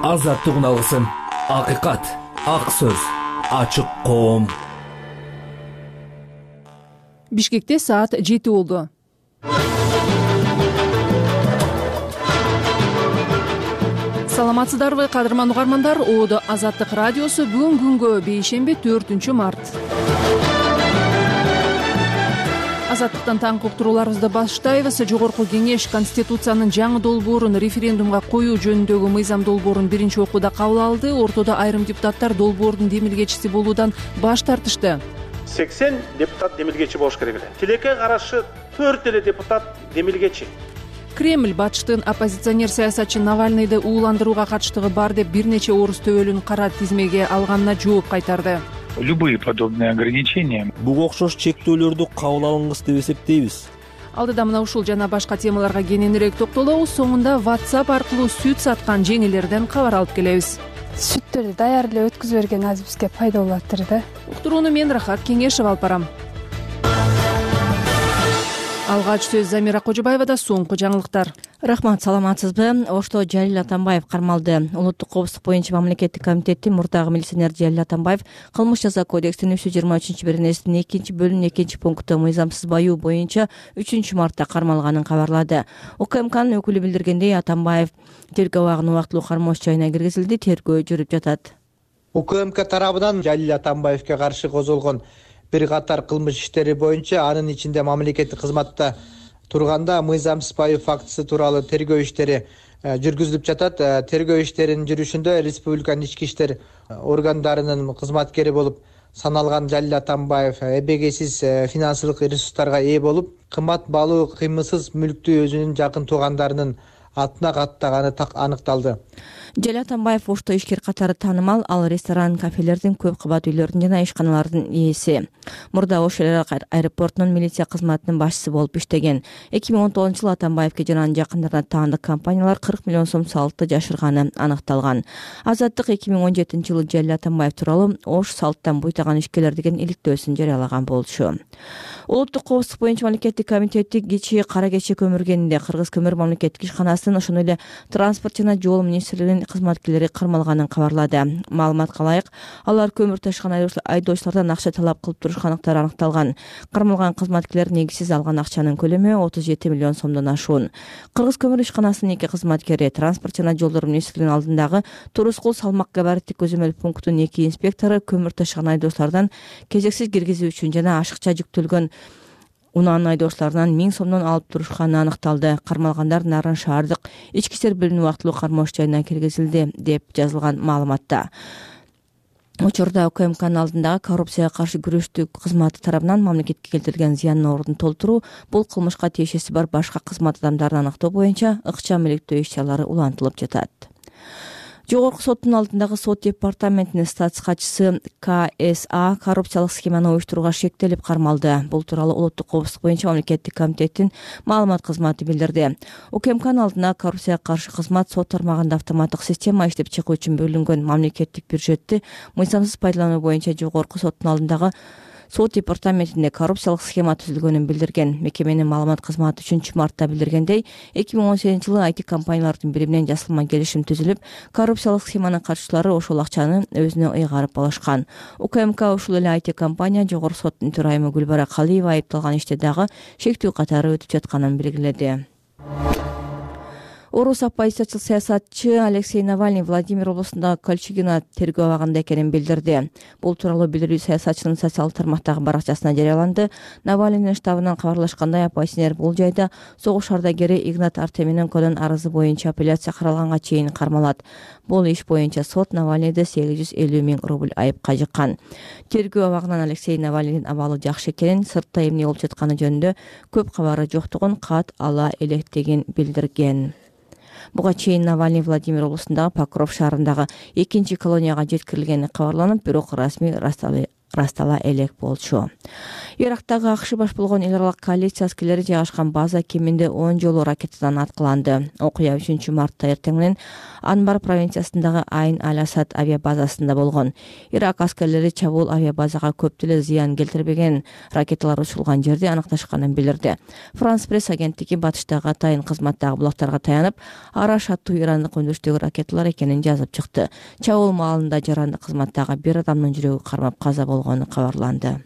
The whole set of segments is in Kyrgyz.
азаттыгын алгысың. Акыйкат, ак сөз, ачык коом. Бишкекте саат 7 болду. Саламатсыздарбы, кадырман угармандар? Оодо Азаттык радиосу бүгүн күнгө бейшемби 4 март. Азаттыктан таңкы уктурууларыбызды баштайбыз. Жогорку кеңеш Конституциянын жаңы долбоорун референдумга коюу жөнүндөгү мыйзам долбоорун биринчи окууда кабыл алды. Ортодо айрым депутаттар долбоордун демилгечиси болуудан баш тартышты. 80 депутат демилгечи болуш керек эле. Тилекке каршы 4 эле депутат демилгечи. Кремль батыштын оппозиционер саясатчы Навальныйды ууландырууга катыштыгы бар деп бир нече орус төбөлүн кара тизмеге алганына жооп кайтарды. Любые подобные ограничения. Буга окшош чектөөлөрдү кабыл алынгыс деп эсептейбиз. Алдыда мына ушул жана башка темаларга кененирээк токтолобуз. Соңунда WhatsApp аркылуу сүт саткан жеңелерден кабар алып келебиз. Сүттөрдү даярдап өткүзүп берген азыр бизге пайда болуп атыр да. Уктурууну мен Рахат Кеңешев алып барам. Алгач сөз Замира Кожобаевада. Соңку жаңылыктар. Рахмат, саламатсызбы? Ошто Жалил Атамбаев кармалды. Улуттук коопсуздук боюнча мамлекеттик комитеттин мурдагы милиционер Жалил Атамбаев кылмыш жаза кодексинин 323-беренесинин 2-бөлүм 2-пункту мыйзамсыз баюу боюнча 3 мартта кармалганын кабарлады. УКМКнын өкүлү билдиргендей, Атамбаев тергөө абагынын убактылуу кармош жайына киргизилди. Тергөө жүрүп жатат. УКМК тарабынан Жалил Атамбаевге каршы козголгон бир катар кылмыш иштери боюнча, анын ичинде мамлекеттик кызматта турганда мыйзамсыз баюу фактысы тууралуу тергөө иштери жүргүзүлүп жатат. Тергөө иштеринин жүрүшүндө республиканын ички иштер органдарынын кызматкери болуп саналган Жалил Атамбаев эбегейсиз финансылык ресурстарга ээ болуп, кымбат баалуу кыймылсыз мүлктү өзүнүн жакын туугандарынын атына каттаганы аныкталды. Жалил Атамбаев ошто ишкер катары таанымал. Ал ресторан, кафелердин, көп кабат үйлөрдүн жана ишканалардын ээси. Мурда Ош аэропортунун милиция кызматынын башчысы болуп иштеген. 2019-жылы Атамбаевге жана анын жакындарына таандык компаниялар 40 миллион сом салтты жашырганы аныкталган. Азаттык 2017-жылы Жалил Атамбаев тууралуу Ош салттан буйтаган ишкерлер деген иликтөөсүн жарыялаган болчу. Улуттук коопсуздук боюнча мамлекеттик комитети кечээ кара кече көмүргенинде Кыргыз көмүр мамлекеттик ишканасынын, ошондой эле транспорт жана жол министрлигинин кызматкерлери кармалганын кабарлады. Маалыматка ылайык, алар көмүр ташыган айдоочулардан акча талап кылып турушкандыктары аныкталган. Кармалган кызматкерлер негизсиз алган акчанын көлөмү 37 миллион сомдон ашуун. Кыргыз көмүр ишканасынын 2 кызматкери, транспорт жана жолдор министрлигинин алдындагы Турускул салмак габариттик көзөмөл пунктунун 2 инспектору көмүр ташыган айдоочулардан кезексиз киргизүү үчүн жана ашыкча жүктөлгөн унаанын айдоочуларынан 1000 сомдон алып турушканы аныкталды. Кармалгандар Нарын шаардык ички иштер бөлүмүнүн убактылуу кармош жайына киргизилди деп жазылган маалыматта. Учурда УКМКнын алдындагы коррупцияга каршы күрөштүү кызматы тарабынан мамлекетке келтирилген зыяндын ордун толтуруу, бул кылмышка тиешеси бар башка кызмат адамдарын аныктоо боюнча ыкчам иликтөө иш-чаралары улантылып жатат. Жогорку соттун алдындагы сот департаментинин статс катчысы КСА коррупциялык схеманы уюштурууга шектелип кармалды. Бул тууралуу Улуттук коопсуздук боюнча мамлекеттик комитеттин маалымат кызматы билдирди. УКМКнын алдына коррупцияга каршы кызмат сот тармагында автоматтык система иштеп чыгуу үчүн бөлүнгөн мамлекеттик бюджетти мыйзамсыз пайдалануу боюнча жогорку соттун алдындагы сот департаментинде коррупциялык схема түзүлгөнүн билдирген. Мекеменин маалымат кызматы 3 мартта билдиргендей, 2018-жылы IT компаниялардын бири менен жасалма келишим түзүлүп, коррупциялык схеманын катчылары ошол акчаны өзүнө ыйгарып алышкан. УКМК ушул эле IT компания жогорку соттун төрайымы Гүлбара Калиева айыпталган иште дагы шектүү катары өтүп жатканын белгиледи. Орус оппозициячыл саясатчы Алексей Навальный Владимир облусундагы Кольчугино тергөө абагында экенин билдирди. Бул тууралуу билдирүү саясатчынын социалдык тармактагы баракчасына жарыяланды. Навальныйдын штабынан кабарлашкандай, оппозиционер бул жайда согуш ардагери Игнат Артемененконун арызы боюнча апелляция каралганга чейин кармалат. Бул иш боюнча сот Навальныйды 850 000 рубль айыпка жыккан. Тергөө абагынан Алексей Навальныйдын абалы жакшы экенин, сыртта эмне болуп жатканы жөнүндө көп кабары жоктугун кат ала электигин билдирген. Буга чейин Навальный Владимир облусундагы Покров шаарындагы 2-колонияга жеткирилгени кабарланып, бирок расмий ырастала элек болчу. Ирактагы АКШ баш болгон эл аралык коалиция аскерлери жайгашкан база кеминде 10 жолу ракетадан аткыланды. Окуя 3 мартта эртең менен Анбар провинциясындагы Айн Аль-Асад авиабазасында болгон. Ирак аскерлери чабуул авиабазага көп деле зыян келтирбеген, ракеталар учурулган жерди аныкташканын билдирди. Франс пресс агенттиги батыштагы атайын кызматтагы булактарга таянып, Араш аттуу ирандык өндүрүштөгү ракеталар экенин жазып чыкты. Чабуул маалында жарандык кызматтагы бир адамдын жүрөгү кармап каза болгону кабарланды.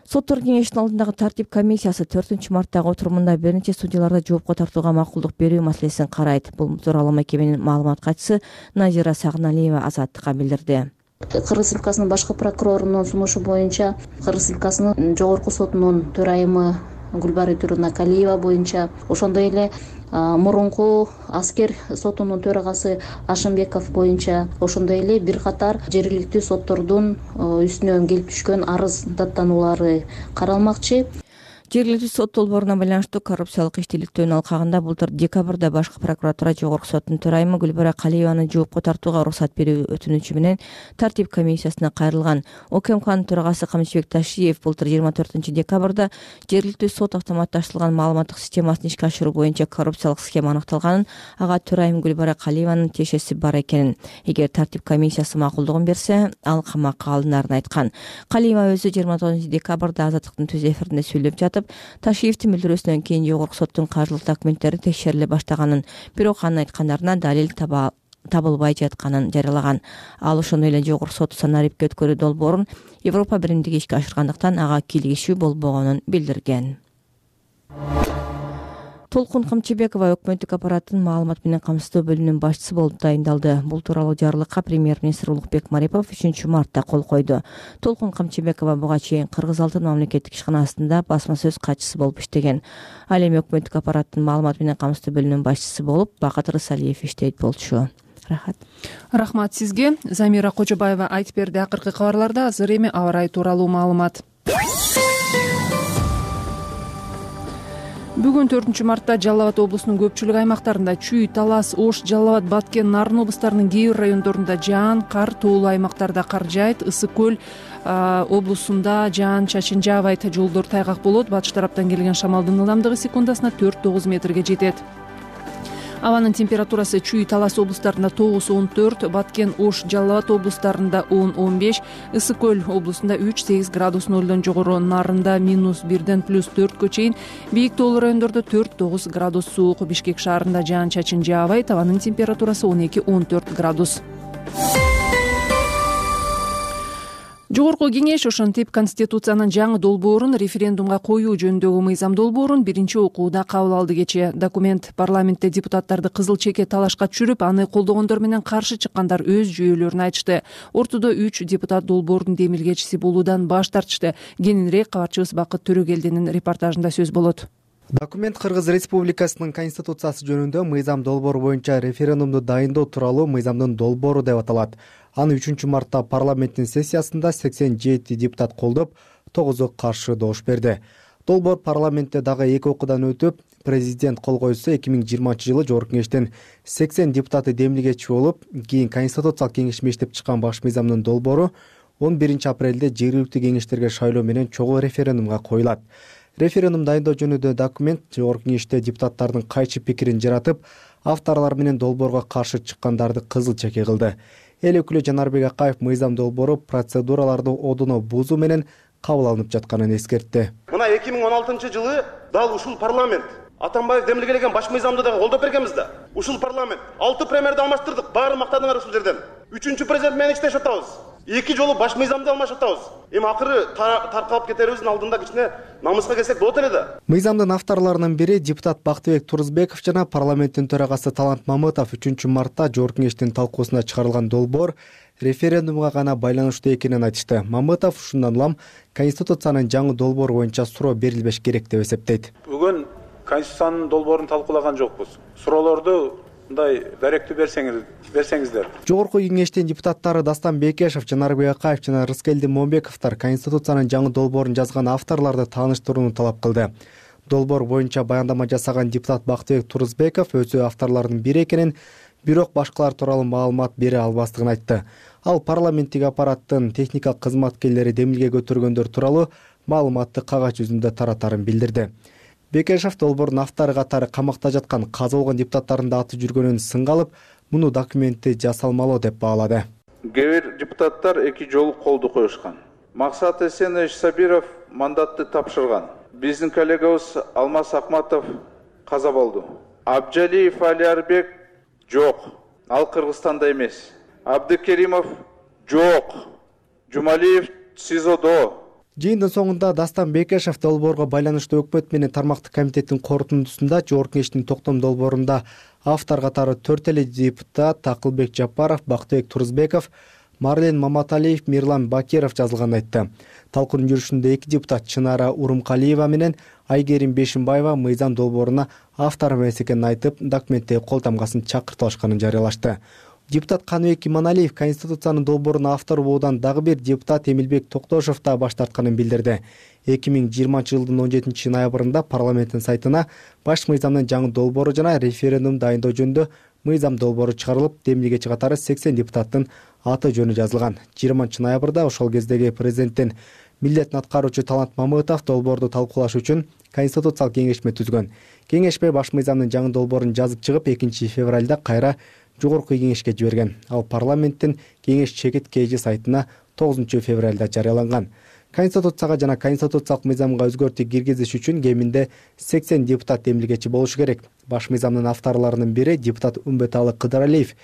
Соттор кеңешинин алдындагы тартип комиссиясы 4 марттагы отурумунда бир нече судьяларды жоопко тартууга макулдук берүү маселесин карайт. Бул тууралуу мекеменин маалымат катчысы Назира Сагналиева Азаттыкка билдирди. Кыргыз Республикасынын башкы прокурорунун сунушу боюнча Кыргыз Республикасынын жогорку сотунун төрайымы Гүлбары Турунакалиева боюнча, ошондой эле мурунку аскер сотунун төрагасы Ашымбеков боюнча, ошондой эле бир катар жергиликтүү соттордун үстүнөн келип түшкөн арыз даттануулары каралмакчы. Жергиликтүү сот долбооруна байланыштуу коррупциялык иштүүлүктүн алкагында былтыр декабрда башкы прокуратура жогорку соттун төрайымы Гүлбара Калиеваны жоопко тартууга уруксат берүү өтүнүчү менен тартип комиссиясына кайрылган. ОКМКнын төрагасы Камчыбек Ташиев былтыр 24 декабрда жергиликтүү сот автоматташтырылган маалыматтык системасын ишке ашыруу боюнча коррупциялык схема аныкталганын, ага төрайым Гүлбара Калиеванын тиешеси бар экенин, эгер тартип комиссиясы макулдугун берсе, ал камакка алынарын айткан. Калиева өзү 29 декабрда Азаттыктын түз эфиринде сүйлөп жатып, Ташиевдин билдирүүсүнөн кийин жогорку соттун каржылык документтери текшериле баштаганын, бирок анын айткандарына далил табылбай жатканын жарыялаган. Ал ошондой эле жогорку сот санариптке өткөрүү долбоорун Европа биримдиги ишке ашыргандыктан ага кийлигишүү болбогонун билдирген. Толкун Камчыбекова өкмөттүк аппараттын маалымат менен камсыздоо бөлүмүнүн башчысы болуп дайындалды. Бул тууралуу жарлыкка премьер-министр Улукбек Марипов 3 мартта кол койду. Толкун Камчыбекова буга чейин Кыргыз Алтын мамлекеттик ишканасында басма сөз катчысы болуп иштеген. Ал эми өкмөттүк аппараттын маалымат менен камсыздоо бөлүмүнүн башчысы болуп Бакыт Рысалиев иштейт болчу. Рахмат сизге. Замира Кожобаева айтып берди. Акыркы кабарларда азыр эми аба ырайы тууралуу маалымат. Бүгүн 4 мартта Жалал Абад облусунун көпчүлүк аймактарында Чүй, Талас, Ош, Жалал Абад, Баткен, Нарын облустарынын кээ бир райондорунда жаан, кар, тоолуу аймактарда кар жаайт. Ысык көл облусунда жаан чачын жаабайт, жолдор тайгак болот. Батыш тараптан келген шамалдын ылдамдыгы секундасына 4-9 метрге жетет. Абанын температурасы Чүй, Талас облустарында 9-14, Баткен, Ош, Жалал Абад облустарында 10-15, Ысык көл облусунда 3-8 градус нөлдөн жогору, Нарында -1-ден +4 чейин, бийик тоолуу райондордо 4-9 градус суук. Бишкек шаарында жаан чачын жаабайт, абанын температурасы 12-14 градус. Жогорку кеңеш ошентип Конституциянын жаңы долбоорун референдумга коюу жөнүндөгү мыйзам долбоорун биринчи окууда кабыл алды кечээ. Документ парламентте депутаттарды кызыл чеке талашка түшүрүп, аны колдогондор менен каршы чыккандар өз жүйөлөрүн айтышты. Ортодо 3 депутат долбоордун демилгечиси болуудан баш тартышты. Кененирээк кабарчыбыз Бакыт Төрөгелдинин репортажында сөз болот. Документ Кыргыз Республикасынын Конституциясы жөнүндө мыйзам долбоору боюнча референдумду дайындоо тууралуу мыйзамдын долбоору деп аталат. Аны 3 мартта парламенттин сессиясында 87 депутат колдоп, 9 каршы добуш берди. Долбоор парламентте дагы 2 окуудан өтүп, президент кол койсо 2020 жылы жогорку кеңештен 80 депутаты демилгечи болуп, кийин Конституциялык кеңеш мектеп чыккан баш мыйзамдын долбоору 11 апрелде жергиликтүү кеңештерге шайлоо менен чогуу референдумга коюлат. Референдум дайындоо жөнүндө документ жогорку кеңеште депутаттардын кайчы пикирин жаратып, авторлор менен долбоорго каршы чыккандарды кызыл чеке кылды. Эл өкүлү Жанарбек Акаев мыйзам долбоору процедураларды одуно бузуу менен кабыл алынып жатканын эскертти. Мына 2016 жылы дал ушул парламент Атамбаев демилгелеген баш мыйзамды дагы колдоп бергенбиз да. Ушул парламент 6 премьерди алмаштырдык, баары мактадыңар ушул жерден. 3-чү президент менен иштешип атабыз. 2 жолу баш мыйзамды алмашып атабыз. Эми акыры таркалып кетерибиздин алдында кичине намыска келсек болот эле да. Мыйзамдын авторлорунун бири депутат Бактыбек Турузбеков жана парламенттин төрагасы Талант Мамытов 3 мартта жогорку кеңештин талкуусуна чыгарылган долбоор референдумга гана байланыштуу экенин айтышты. Мамытов ушундан улам Конституциянын жаңы долбоору боюнча суроо берилбеш керек деп эсептейт. Бүгүн Конституциянын долбоорун талкуулаган жокпуз. Суроолорду мындай даректүү берсеңиздер. Жогорку кеңештин депутаттары Дастан Бекешев, Жанарбек Акаев жана Рыскелди Момбековдор Конституциянын жаңы долбоорун жазган авторлорду тааныштырууну талап кылды. Долбоор боюнча баяндама жасаган депутат Бактыбек Турузбеков өзү авторлордун бири экенин, бирок башкалар тууралуу маалымат бере албастыгын айтты. Ал парламенттик аппараттын техникалык кызматкерлери демилге көтөргөндөр тууралуу маалыматты кагаз жүзүндө таратарын билдирди. Бекешев долбоордун автору катары камакта жаткан каза болгон депутаттардын да аты жүргөнүн сынга алып, муну документти жасалмалуу деп баалады. Кээ бир депутаттар эки жолу колду коюшкан. Максат Эсенович Сабиров мандатты тапшырган. Биздин коллегабыз Алмаз Акматов каза болду. Абджалиев Алиарбек жок. Ал Кыргызстанда эмес. Абдыкеримов жок. Жумалиев СИЗОдо. Жыйындын соңунда Дастан Бекешев долбоорго байланыштуу өкмөт менен тармактык комитеттин корутундусунда Жогорку Кеңештин токтом долбоорунда автор катары 4 эле депутат Акылбек Жапаров, Бактыбек Турузбеков, Марлен Маматалиев, Мирлан Бакиров жазылганын айтты. Талкуунун жүрүшүндө 2 депутат Чынара Урумкалиева менен Айгерим Бешимбаева мыйзам долбооруна автор эмес экенин айтып, документтеги кол тамгасын чакыртылышканын жарыялашты. Депутат Каныбек Иманалиев Конституциянын долбоорунун автору болуудан дагы бир депутат Эмилбек Токтошов да баш тартканын билдирди. 2020-жылдын 17 ноябрында парламенттин сайтына баш мыйзамдын жаңы долбоору жана референдум дайындоо жөнүндө мыйзам долбоору чыгарылып, демилгечи катары 80 депутаттын аты жөнү жазылган. 20 ноябрда ошол кездеги президенттин милдетин аткаруучу Талант Мамытов долбоорду талкуулаш үчүн конституциялык кеңешме түзгөн. Кеңешме баш мыйзамдын жаңы долбоорун жазып чыгып, 2 февралда кайра Жогорку Кеңешке жиберген. Ал парламенттин кеңеш чекит KG сайтына 9 февралда жарыяланган. Конституцияга жана конституциялык мыйзамга өзгөртүү киргизиш үчүн кеминде 80 депутат демилгечи болушу керек. Баш мыйзамдын авторлорунун бири депутат Умбеталы Кыдыралиев.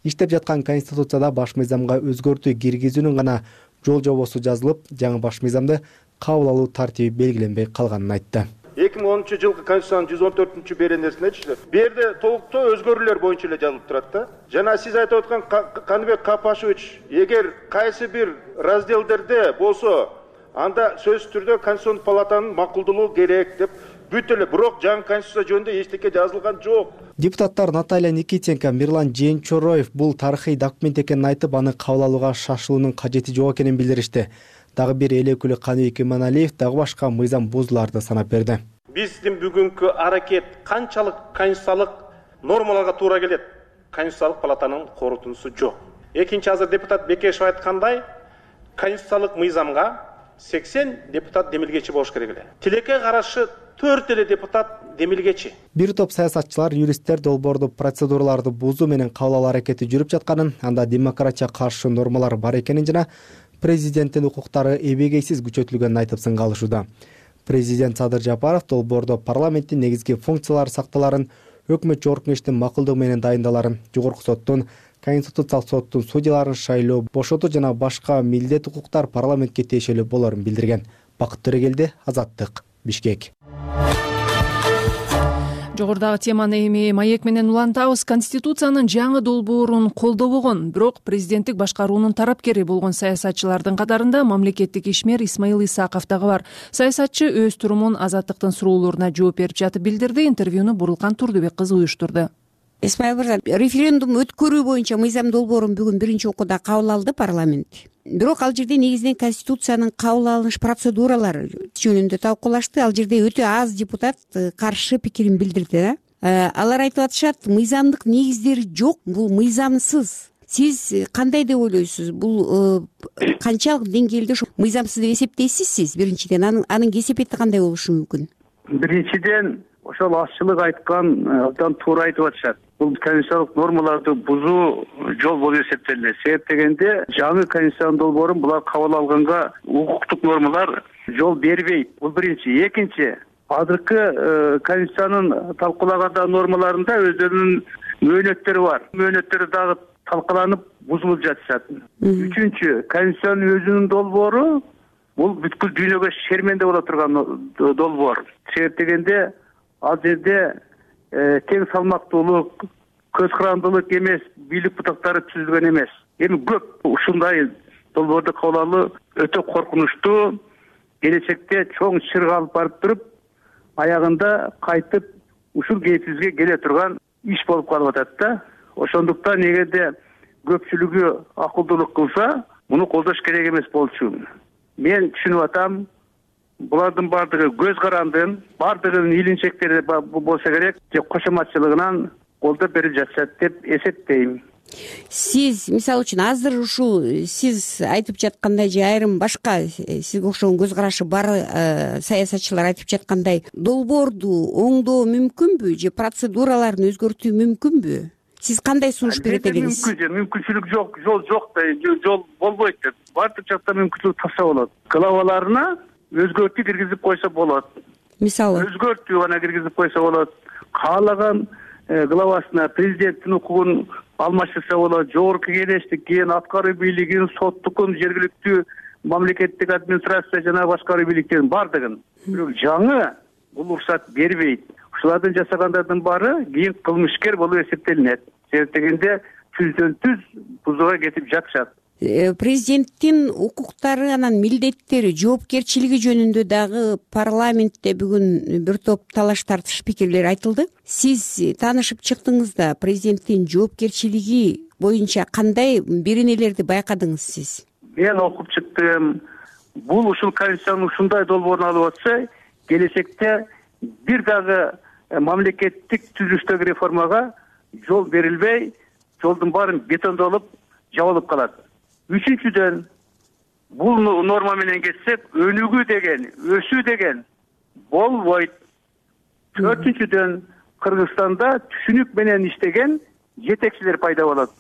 Иштеп жаткан конституцияда баш мыйзамга өзгөртүү киргизүүнүн гана жол жобосу жазылып, жаңы баш мыйзамды кабыл алуу тартиби белгиленбей калганын айтты. 2010-жылкы Конституциянын 114 беренесинечи бу жерде толуктоо өзгөрүүлөр боюнча эле жазылып турат да. Жана сиз айтып аткан Каныбек Капашевич, эгер кайсы бир разделдерде болсо, анда сөзсүз түрдө Конституциялык палатанын макулдулугу керек деп бүт эле, бирок жаңы конституция жөнүндө эчтеке жазылган жок. Депутаттар Наталья Никитенко, Мирлан Жээнчороев бул тарыхый документ экенин айтып, аны кабыл алууга шашылуунун кажети жок экенин билдиришти. Дагы бир эл өкүлү Каныбек Иманалиев дагы башка мыйзам бузууларды санап берди. Биздин бүгүнкү аракет канчалык конституциялык нормаларга туура келет? Конституциялык палатанын корутундусу жок. Экинчи, азыр депутат Бекешев айткандай, конституциялык мыйзамга 80 депутат демилгечи болуш керек эле. Тилекке карашы 4 эле депутат демилгечи. Бир топ саясатчылар, юристтер долбоорду процедураларды бузуу менен кабыл алуу аракети жүрүп жатканын, анда демократияга каршы нормалар бар экенин жана президенттин укуктары эбегейсиз күчөтүлгөнүн айтып сынга алышууда. Президент Садыр Жапаров долбоордо парламенттин негизги функциялары сакталарын, өкмөт Жогорку Кеңештин макулдугу менен дайындаларын, Жогорку соттун, Конституциялык соттун судьяларын шайлоо, бошотуу жана башка милдет укуктар парламентке тиешелүү болорун билдирген. Бакыт Төрегелди, Азаттык, Бишкек. Жогорудагы теманы эми маек менен улантабыз. Конституциянын жаңы долбоорун колдобогон, бирок президенттик башкаруунун тарапкери болгон саясатчылардын катарында мамлекеттик ишмер Исмаил Исаков дагы бар. Саясатчы өз турумун Азаттыктын суроолоруна жооп берип жатып билдирди. Интервьюну Бурулкан Турдубек кызы уюштурду. Исмаил мырза, референдум өткөрүү боюнча мыйзам долбоорун бүгүн биринчи окууда кабыл алды парламент. Бирок ал жерде негизинен конституциянын кабыл алыныш процедуралары жөнүндө талкуулашты. Ал жерде өтө аз депутат каршы пикирин билдирди. Алар айтып атышат, мыйзамдык негиздери жок, бул мыйзамсыз. Сиз кандай деп ойлойсуз? Бул канчалык деңгээлде мыйзамсыз деп эсептейсиз сиз? Биринчиден, анын кесепети кандай болушу мүмкүн? Биринчиден, ошол азчылык айткан абдан туура айтып атышат. Бул конституциялык нормаларды бузуу жол болуп эсептелет. Себеп дегенде, жаңы конституциянын долбоорун булар кабыл алганга укуктук нормалар жол бербейт. Бул биринчи. Экинчи, азыркы конституциянын талкуулаганда нормаларында өздөрүнүн мөөнөттөрү бар. Мөөнөттөрү дагы талкаланып бузулуп жатышат. Үчүнчү, конституциянын өзүнүн долбоору бул бүткүл дүйнөгө шерменде боло турган долбоор. Себеп дегенде, ал жерде тең салмактуулук, көз карандылык эмес, бийлик бутактары түзүлгөн эмес. Эми көп ушундай долбоорду кабыл алуу өтө коркунучтуу, келечекте чоң чырга алып барып туруп, аягында кайтып ушул кейпибизге келе турган иш болуп калып атат да. Ошондуктан эгерде көпчүлүгү акылдуулук кылса, муну колдош керек эмес болчу. Мен түшүнүп атам, булардын баардыгы көз карандын, баардыгынын илинчектери болсо керек же кошоматчылыгынан колдоп берип жатышат деп эсептейм. Сиз мисалы үчүн азыр ушул сиз айтып жаткандай же айрым башка сизге окшогон көз карашы бар саясатчылар айтып жаткандай долбоорду оңдоо мүмкүнбү же процедураларын өзгөртүү мүмкүнбү? Сиз кандай сунуш берет элеңиз? Мүмкүнчүлүк жок, жол жок да, жол болбойт деп. Баардык жакта мүмкүнчүлүк тапса болот. Главаларына өзгөртүү киргизип койсо болот. Мисалы өзгөртүү гана киргизип койсо болот. Каалаган главасына президенттин укугун алмаштырса болот. Жогорку кеңештик, кийин аткаруу бийлигин, соттукун, жергиликтүү мамлекеттик администрация жана башкаруу бийликтерин баардыгын. Бирок жаңы бул уруксат бербейт. Ушулардын жасагандардын баары кийин кылмышкер болуп эсептелинет. Себеп дегенде түздөн түз бузууга кетип жатышат. Президенттин укуктары анан милдеттери, жоопкерчилиги жөнүндө дагы парламентте бүгүн бир топ талаш тартыш пикирлер айтылды. Сиз таанышып чыктыңыз да президенттин жоопкерчилиги боюнча кандай беренелерди байкадыңыз сиз? Мен окуп чыктым. Бул ушул конституциянын ушундай долбоорун алып атса, келечекте бир дагы мамлекеттик түзүлүштөгү реформага жол берилбей, жолдун баарын бетондолуп, жабылып калат. Үчүнчүдөн, бул норма менен кетсек, өнүгүү деген, өсүү деген болбойт. Төртүнчүдөн, Кыргызстанда түшүнүк менен иштеген жетекчилер пайда болот.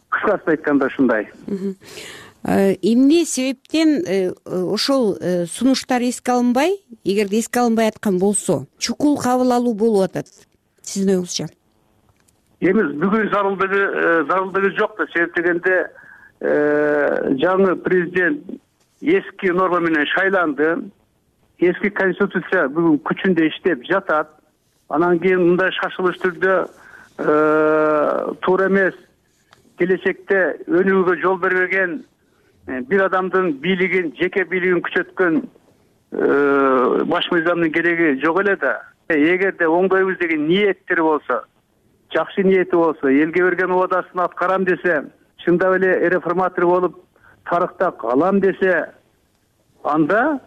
Кыскасы айтканда ушундай. Эмне себептен ошол сунуштар эске алынбай, эгерде эске алынбай аткан болсо, чукул кабыл алуу болуп атат сиздин оюңузча? Эми бүгүн зарылдыгы жок да, себеп дегенде жаңы президент эски норма менен шайланды. Эски конституция бүгүн күчүндө иштеп жатат. Анан кийин мындай шашылыш түрдө туура эмес, келечекте өнүгүүгө жол бербеген бир адамдын бийлигин, жеке бийлигин күчөткөн баш мыйзамдын кереги жок эле да. Эгерде оңдойбуз деген ниеттери болсо, жакшы ниети болсо, элге берген убадасын аткарам десе, чындап эле реформатор болуп тарыхта калам десе, анда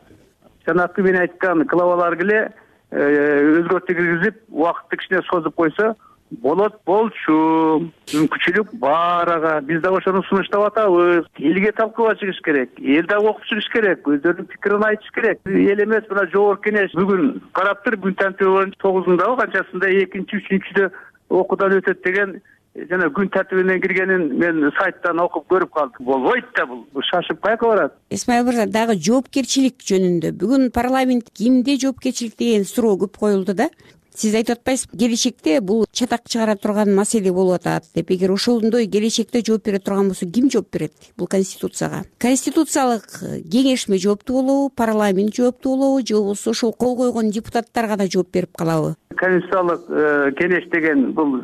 жанакы мен айткан главалар эле өзгөртүү киргизип, убакытты кичине созуп койсо болот болчу. Мүмкүнчүлүк бар ага. Биз дагы ошону сунуштап атабыз. Элге талкууга чыгыш керек. Эл дагы окуп чыгыш керек. Өздөрүнүн пикирин айтыш керек. Эл эмес, мына жогорку кеңеш бүгүн караптыр, күн тартиби боюнча 9-ндабы канчасында 2-3-3-дө окуудан өтөт деген жана күн тартибине киргенин мен сайттан окуп көрүп калдым. Болбойт да бул. Шашып кайка барат. Исмаил мырза, дагы жоопкерчилик жөнүндө бүгүн парламент кимде жоопкерчилик деген суроо көп коюлду да. Сиз айтып атпайсыз, келечекте бул чатак чыгара турган маселе болуп атат деп. Эгер ошондой келечекте жооп бере турган болсо, ким жооп берет бул конституцияга? Конституциялык кеңешме жооптуу болобу, парламент жооптуу болобу, же болбосо ошол кол койгон депутаттар гана жооп берип калабы? Конституциялык кеңеш деген бул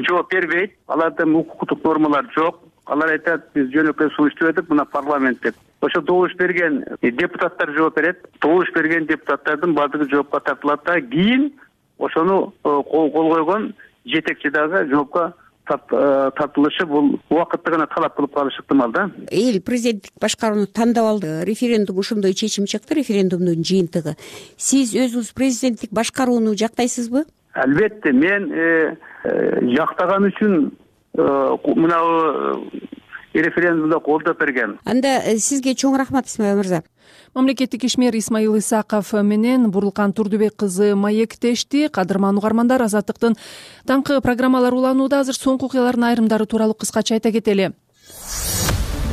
жооп бербейт. Аларда укуктук нормалар жок. Алар айтат, биз жөнөкөй сунуштап этип, мына парламент деп. Ошо добуш берген депутаттар жооп берет. Добуш берген депутаттардын баардыгы жоопко тартылат да, кийин ошону кол койгон жетекчи дагы жоопко тартылышы бул убакытты гана талап кылып калышы ыктымал да. Эл президенттик башкарууну тандап алды. Референдум ошондой чечим чыкты, референдумдун жыйынтыгы. Сиз өзүңүз президенттик башкарууну жактайсызбы? Албетте, мен жактаган үчүн мына референдумда колдоп берген. Анда сизге чоң рахмат, Исмаил мырза. Мамлекеттик ишмер Исмаил Исаков менен Бурлкан Турдубек кызы маектешти. Кадырман угармандар, Азаттыктын таңкы программалары уланууда. Азыр соңку окуялардын айрымдары тууралуу кыскача айта кетели.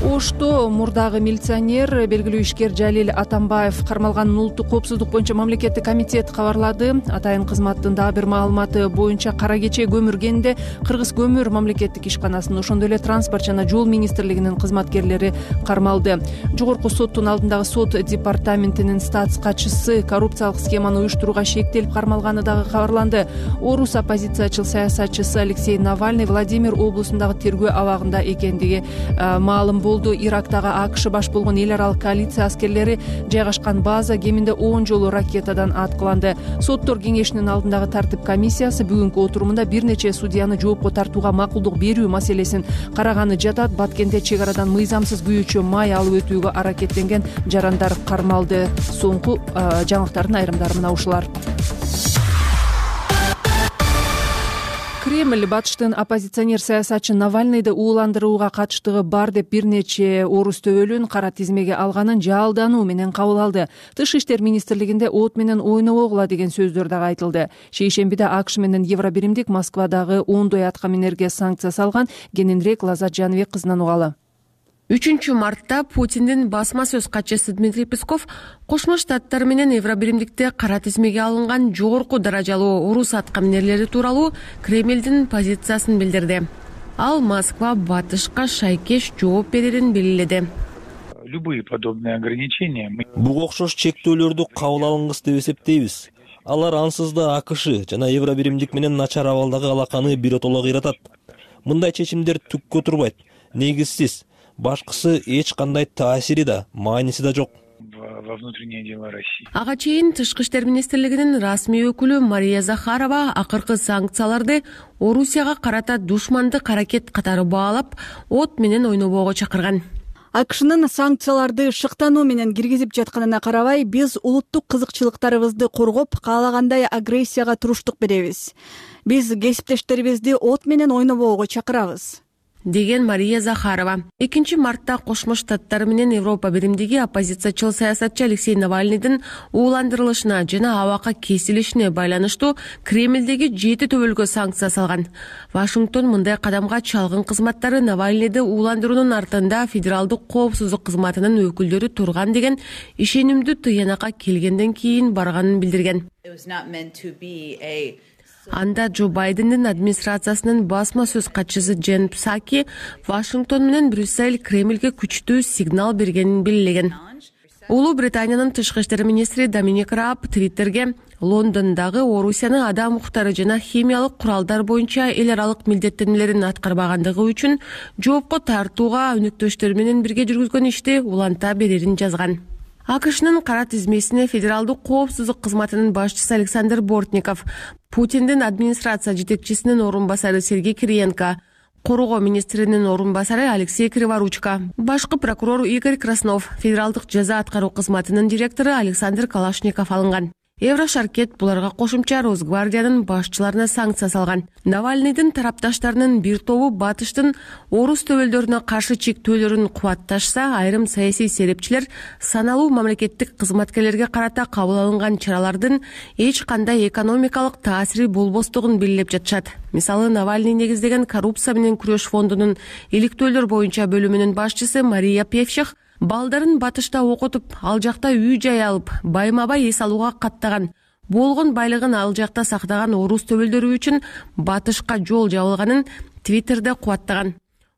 Ошто мурдагы милиционер, белгилүү ишкер Жалил Атамбаев кармалганын улуттук коопсуздук боюнча мамлекеттик комитет кабарлады. Атайын кызматтын дагы бир маалыматы боюнча Кара Кече көмүр кенинде Кыргыз көмүр мамлекеттик ишканасынын, ошондой эле транспорт жана жол министрлигинин кызматкерлери кармалды. Жогорку соттун алдындагы сот департаментинин статс катчысы коррупциялык схеманы уюштурууга шектелип кармалганы дагы кабарланды. Орус оппозициячыл саясатчысы Алексей Навальный Владимир облусундагы тергөө абагында экендиги маалым болду. болду. Ирактагы АКШ баш болгон эл аралык коалиция аскерлери жайгашкан база кеминде 10 жолу ракетадан аткыланды. Соттор кеңешинин алдындагы тартип комиссиясы бүгүнкү отурумунда бир нече судьяны жоопко тартууга макулдук берүү маселесин караганы жатат. Баткенде чек арадан мыйзамсыз күйүүчү май алып өтүүгө аракеттенген жарандар кармалды. Соңку жаңылыктардын айрымдары мына ушулар. Кремль батыштын оппозиционер саясатчы Навальныйды ууландырууга катыштыгы бар деп бир нече орус төбөлүн кара тизмеге алганын жалдануу менен кабыл алды. Тышкы иштер министрлигинде от менен ойнобогула деген сөздөр дагы айтылды. Шейшембиде АКШ менен Евробиримдик Москвадагы ондой аткаминерге санкция салган. Кененирээк Лазат Жаныбек кызынан угалы. 3-мартта Путиндин басма сөз катчысы Дмитрий Песков Кошмо Штаттар менен Евробиримдикте кара тизмеге алынган жогорку даражалуу орус аткаминерлери тууралуу Кремлдин позициясын билдирди. Ал Москва батышка шайкеш жооп берерин белгиледи. Любые подобные ограничения буга окшош чектөөлөрдү кабыл алынгыс деп эсептейбиз. Алар ансыз да АКШ жана Евробиримдик менен начар абалдагы алаканы биротоло кыйратат. Мындай чечимдер түккө турбайт, негизсиз. Башкысы эч кандай таасири да, мааниси да жок. Во внутренние дела России. Ага чейин Тышкы иштер министрлигинин расмий өкүлү Мария Захарова акыркы санкцияларды Орусияга карата душмандык аракет катары баалап, от менен ойнобоого чакырган. АКШнын санкцияларды шыктануу менен киргизип жатканына карабай, биз улуттук кызыкчылыктарыбызды коргоп, каалагандай агрессияга туруштук беребиз. Биз кесиптештерибизди от менен ойнобоого чакырабыз, деген Мария Захарова. 2-мартта Кошмо Штаттар менен Европа биримдиги оппозициячыл саясатчы Алексей Навальныйдын ууландырылышына жана абакка кесилишине байланыштуу Кремлдеги 7 төбөлгө санкция салган. Вашингтон мындай кадамга чалгын кызматтары Навальныйды ууландыруунун артында федералдык коопсуздук кызматынын өкүлдөрү турган деген ишенимдүү тыянакка келгенден кийин барганын билдирген. Анда Джо Байдендин администрациясынын басма сөз катчысы Джен Псаки Вашингтон менен Брюссель Кремлге күчтүү сигнал бергенин белгилеген. Улуу Британиянын тышкы иштер министри Доминик Рааб Твиттерге Лондондогу Орусияны адам укуктары жана химиялык куралдар боюнча эл аралык милдеттенмелерин аткарбагандыгы үчүн жоопко тартууга өнөктөштөр менен бирге жүргүзгөн ишти уланта берерин жазган. АКШнын кара тизмесине федералдык коопсуздук кызматынын башчысы Александр Бортников, Путиндин администрация жетекчисинин орун басары Сергей Кириенко, коргоо министринин орун басары Алексей Криворучко, башкы прокурор Игорь Краснов, федералдык жаза аткаруу кызматынын директору Александр Калашников алынган. Еврошаркет буларга кошумча Росгвардиянын башчыларына санкция салган. Навальныйдын тарапташтарынын бир тобу батыштын орус төбөлдөрүнө каршы чектөөлөрүн кубатташса, айрым саясий серепчилер саналуу мамлекеттик кызматкерлерге карата кабыл алынган чаралардын эч кандай экономикалык таасири болбостугун белгилеп жатышат. Мисалы, Навальный негиздеген коррупция менен күрөш фондунун иликтөөлөр боюнча бөлүмүнүн башчысы Мария Певчих балдарын батышта окутуп, ал жакта үй-жай алып, байма-бай эс алууга каттаган, болгон байлыгын ал жакта сактаган орус төбөлдөрү үчүн батышка жол жабылганын Твиттерде кубаттаган.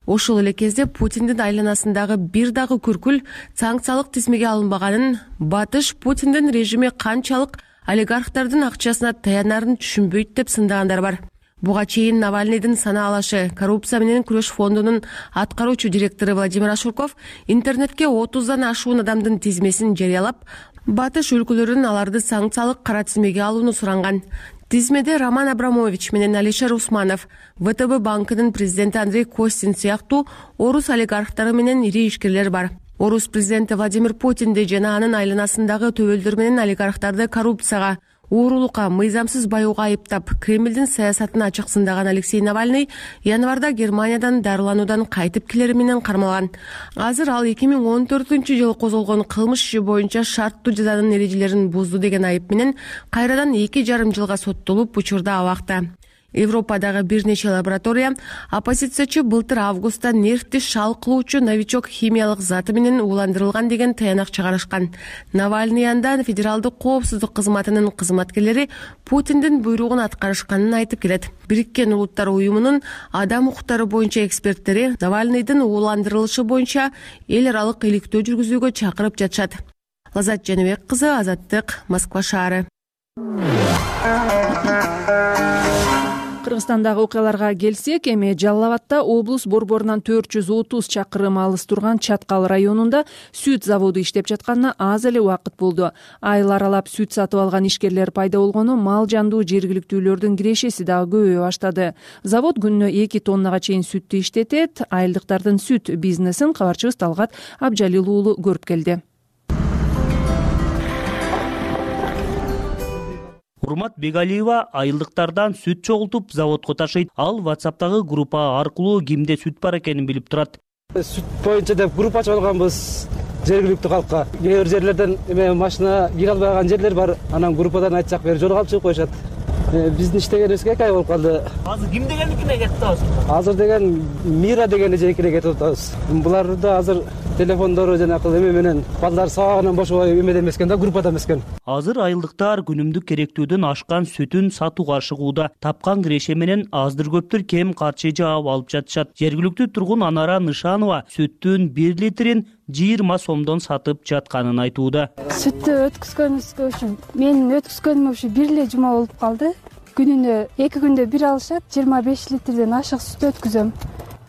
Ошол эле кезде Путиндин айланасындагы бир дагы күркүл санкциялык тизмеге алынбаганын, батыш Путиндин режими канчалык олигархтардын акчасына таянарын түшүнбөйт деп сындагандар бар. Буга чейин Навальныйдын санаалашы коррупция менен күрөш фондунун аткаруучу директору Владимир Ашурков интернетке 30дан ашуун адамдын тизмесин жарыялап, батыш өлкөлөрүнүн аларды санкциялык кара тизмеге алууну суранган. Тизмеде Роман Абрамович менен Алишер Усманов, ВТБ банкынын президенти Андрей Костин сыяктуу орус олигархтары менен ири ишкерлер бар. Орус президенти Владимир Путинди жана анын айланасындагы төбөлдөр менен олигархтарды коррупцияга, уурулукка, мыйзамсыз баюуга айыптап, Кремлдин саясатын ачык сындаган Алексей Навальный январда Германиядан дарылануудан кайтып келери менен кармалган. Азыр ал 2014-жылы козголгон кылмыш иши боюнча шарттуу жазанын эрежелерин бузду деген айып менен кайрадан 2,5 жылга соттолуп, учурда абакта. Европадагы бир нече лаборатория оппозициячы былтыр августта нервти шал кылуучу новичок химиялык заты менен ууландырылган деген таянак чыгарышкан. Навальный анда федералдык коопсуздук кызматынын кызматкерлери Путиндин буйругун аткарышканын айтып келет. Бириккен Улуттар уюмунун адам укуктары боюнча эксперттери Навальныйдын ууландырылышы боюнча эл аралык иликтөө жүргүзүүгө чакырып жатышат. Лазат Жаныбек кызы, Азаттык, Москва шаары. Кыргызстандагы окуяларга келсек, эми Жалал Абадда облус борборунан 430 чакырым алыс турган Чаткал районунда сүт заводу иштеп жатканына аз эле убакыт болду. Айыл аралап сүт сатып алган ишкерлер пайда болгону мал жандуу жергиликтүүлөрдүн кирешеси дагы көбөйө баштады. Завод күнүнө 2 тоннага чейин сүттү иштетет. Айылдыктардын сүт бизнесин кабарчыбыз Талгат Абжалил уулу көрүп келди. Урмат Бегалиева айылдыктардан сүт чогултуп заводко ташыйт. Ал WhatsApp'тагы группа аркылуу кимде сүт бар экенин билип турат. Сүт боюнча деп группа ачып алганбыз жергиликтүү калкка. Кээ бир жерлерден машина кире албай калган жерлер бар. Анан группадан айтсак бери жолго алып чыгып коюшат. Биздин иштегенибизге 2 ай болуп калды. Азыр ким дегеникине кетип атабыз? Азыр деген Мира деген эжекине кетип атабыз. Буларды азыр телефондору жана эме менен балдар сабагынан бошобой эмеде эмескен да, группада эмескен. Азыр айылдыктар күнүмдүк керектүүдөн ашкан сүтүн сатууга ашыгууда. Тапкан киреше менен аздыр көптүр кем карчы жаап алып жатышат. Жергиликтүү тургун Анара Нышанова сүттүн 1 литрин 20 сомдон сатып жатканын айтууда. Сүттү өткүзгөнүбүзгө үчүн менин өткүзгөнүм ушу бир эле жума болуп калды. Күнүнө 2 күндө бир алышат, 25 литрден ашык сүт өткүзөм.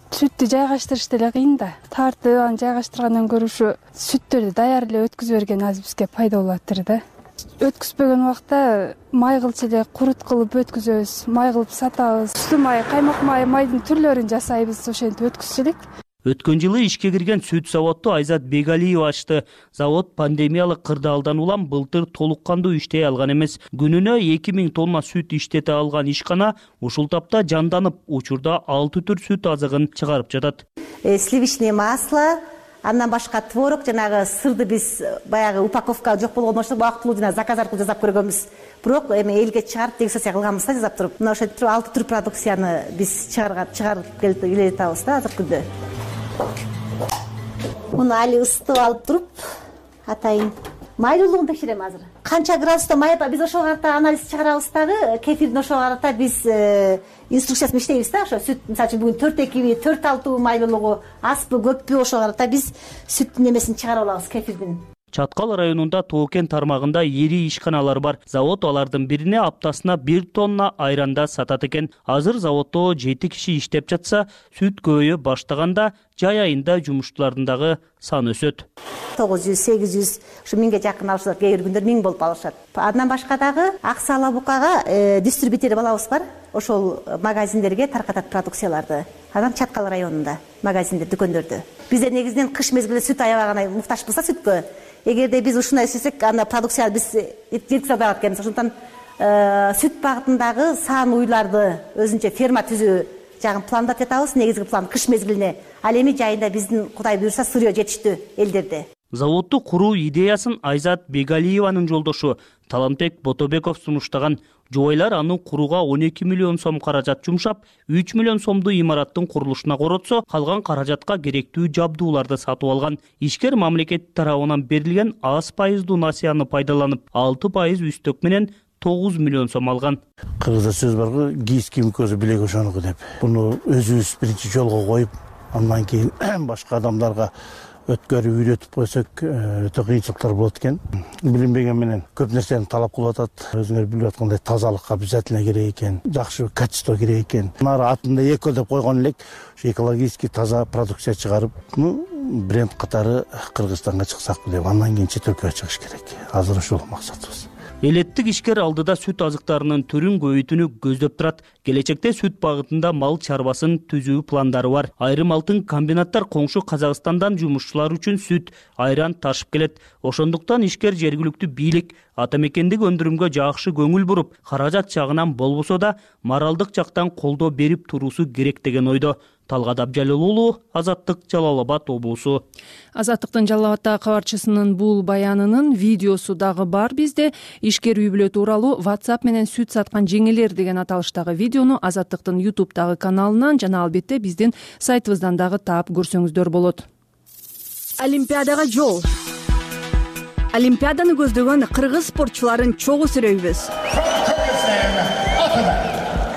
Сүттү жайгаштырыш деле кыйын да. Тартып, аны жайгаштыргандан көрө ушу сүттөрдү даяр эле өткүзүп берген азыр бизге пайда болоптур да. Өткүзбөгөн убакта май кылчу эле курут кылып өткүзөбүз, май кылып сатабыз. Сүт май, каймак май, майдын түрлөрүн жасайбыз, ошентип өткүзчү элек. Өткөн жылы ишке кирген сүт заводду Айзат Бегалиева ачты. Завод пандемиялык кырдаалдан улам былтыр толук кандуу иштей алган эмес. Күнүнө 2000 тонна сүт иштете алган ишкана ушул тапта жанданып, учурда 6 түр сүт азыгын чыгарып жатат. Сливочное масло, андан башка творог, жанагы сырды биз баягы упаковка жок болгон ошо убактылуу жана заказ аркылуу жасап көргөнбүз. Бирок эми элге чыгарып регистрация кылганбыз да, жасап туруп. Мына ошентип 6 түр продукцияны биз чыгарып келе жатабыз да азыркы күндө. Муну али ысытып алып туруп, атайын майлуулугун текшерем азыр. Канча градуста май бар, биз ошого карата анализ чыгарабыз дагы, кефирдин ошого карата биз инструкциясын иштейбиз да, ошо сүт, мисалы үчүн бүгүн 4,2, 4,6 майлуулугу азбы, көппү, ошого карата биз сүттүн эмесин чыгарып алабыз, кефирдин. Чаткал районунда Тоокен тармагында ири ишканалар бар. Завод алардын бирине аптасына 1 тонна айранда сатат экен. Азыр заводдо 7 киши иштеп жатса, сүт көбөйө баштаганда жай айында жумуштуулардын дагы саны өсөт. 900, 800, ушу 1000ге жакын алышат, кээ бир күндөр 1000 болуп алышат. Андан башка дагы Аксы Ала Букага дистрибьютер балабыз бар. Ошол магазиндерге таркатат продукцияларды. Анан Чаткал районунда магазиндер, дүкөндөрдө. Бизде негизинен кыш мезгилинде сүт аябагана муктажбыз да сүткө. Эгерде биз ушундай эсесек, анда продукция биз жеткизе албай экенбиз. Ошондон сүт багытындагы сан уйларды өзүнчө ферма түзүү жагын пландап жатабыз. Негизги план кыш мезгилине. Ал эми жайында биздин Кудай буйрса сырьё жетиштүү элдерде. Заводду куруу идеясын Айзат Бегалиеванын жолдошу Таламбек Ботобеков сунуштаган. Жубайлар аны курууга 12 миллион сом каражат жумшап, 3 миллион сомду имараттын курулушуна коротсо, калган каражатка керектүү жабдууларды сатып алган. Ишкер мамлекет тарабынан берилген аз пайыздуу насыяны пайдаланып, 6% үстөк менен 9 миллион сом алган. Кыргызда сөз баргы, кийиз ким көзү билек ошонуку деп. Буну өзүбүз биринчи жолго коюп, андан кийин башка адамдарга өткөрүп үйрөтүп койсок өтө кыйынчылыктар болот экен. Билинбеген менен көп нерсени талап кылып атат. Өзүңөр билип аткандай тазалыкка обязательно керек экен, жакшы качество керек экен. Нары атында эко деп койгон элек, ушу экологический таза продукция чыгарып, бренд катары Кыргызстанга чыксак деп, андан кийин чет өлкөгө чыгыш керек. Азыр ушул максатыбыз. Элеттик ишкер алдыда сүт азыктарынын түрүн көбөйтүүнү көздөп турат. Келечекте сүт багытында мал чарбасын түзүү пландары бар. Айрым алтын комбинаттар коңшу Казакстандан жумушчулар үчүн сүт, айран ташып келет. Ошондуктан ишкер жергиликтүү бийлик ата мекендик өндүрүмгө жакшы көңүл буруп, каражат жагынан болбосо да моралдык жактан колдоо берип туруусу керек деген ойдо. Талгат Абжалил уулу, Азаттык, Жалал Абад облусу. Азаттыктын Жалал Абаддагы кабарчысынын бул баянынын видеосу дагы бар бизде. Ишкер үй бүлө тууралуу WhatsApp менен сүт саткан жеңелер деген аталыштагы видеону Азаттыктын YouTube'дагы каналынан жана албетте биздин сайтыбыздан дагы таап көрсөңүздөр болот. Олимпиадага жол. Олимпиаданы көздөгөн кыргыз спортчуларын чогуу сүрөйбүз.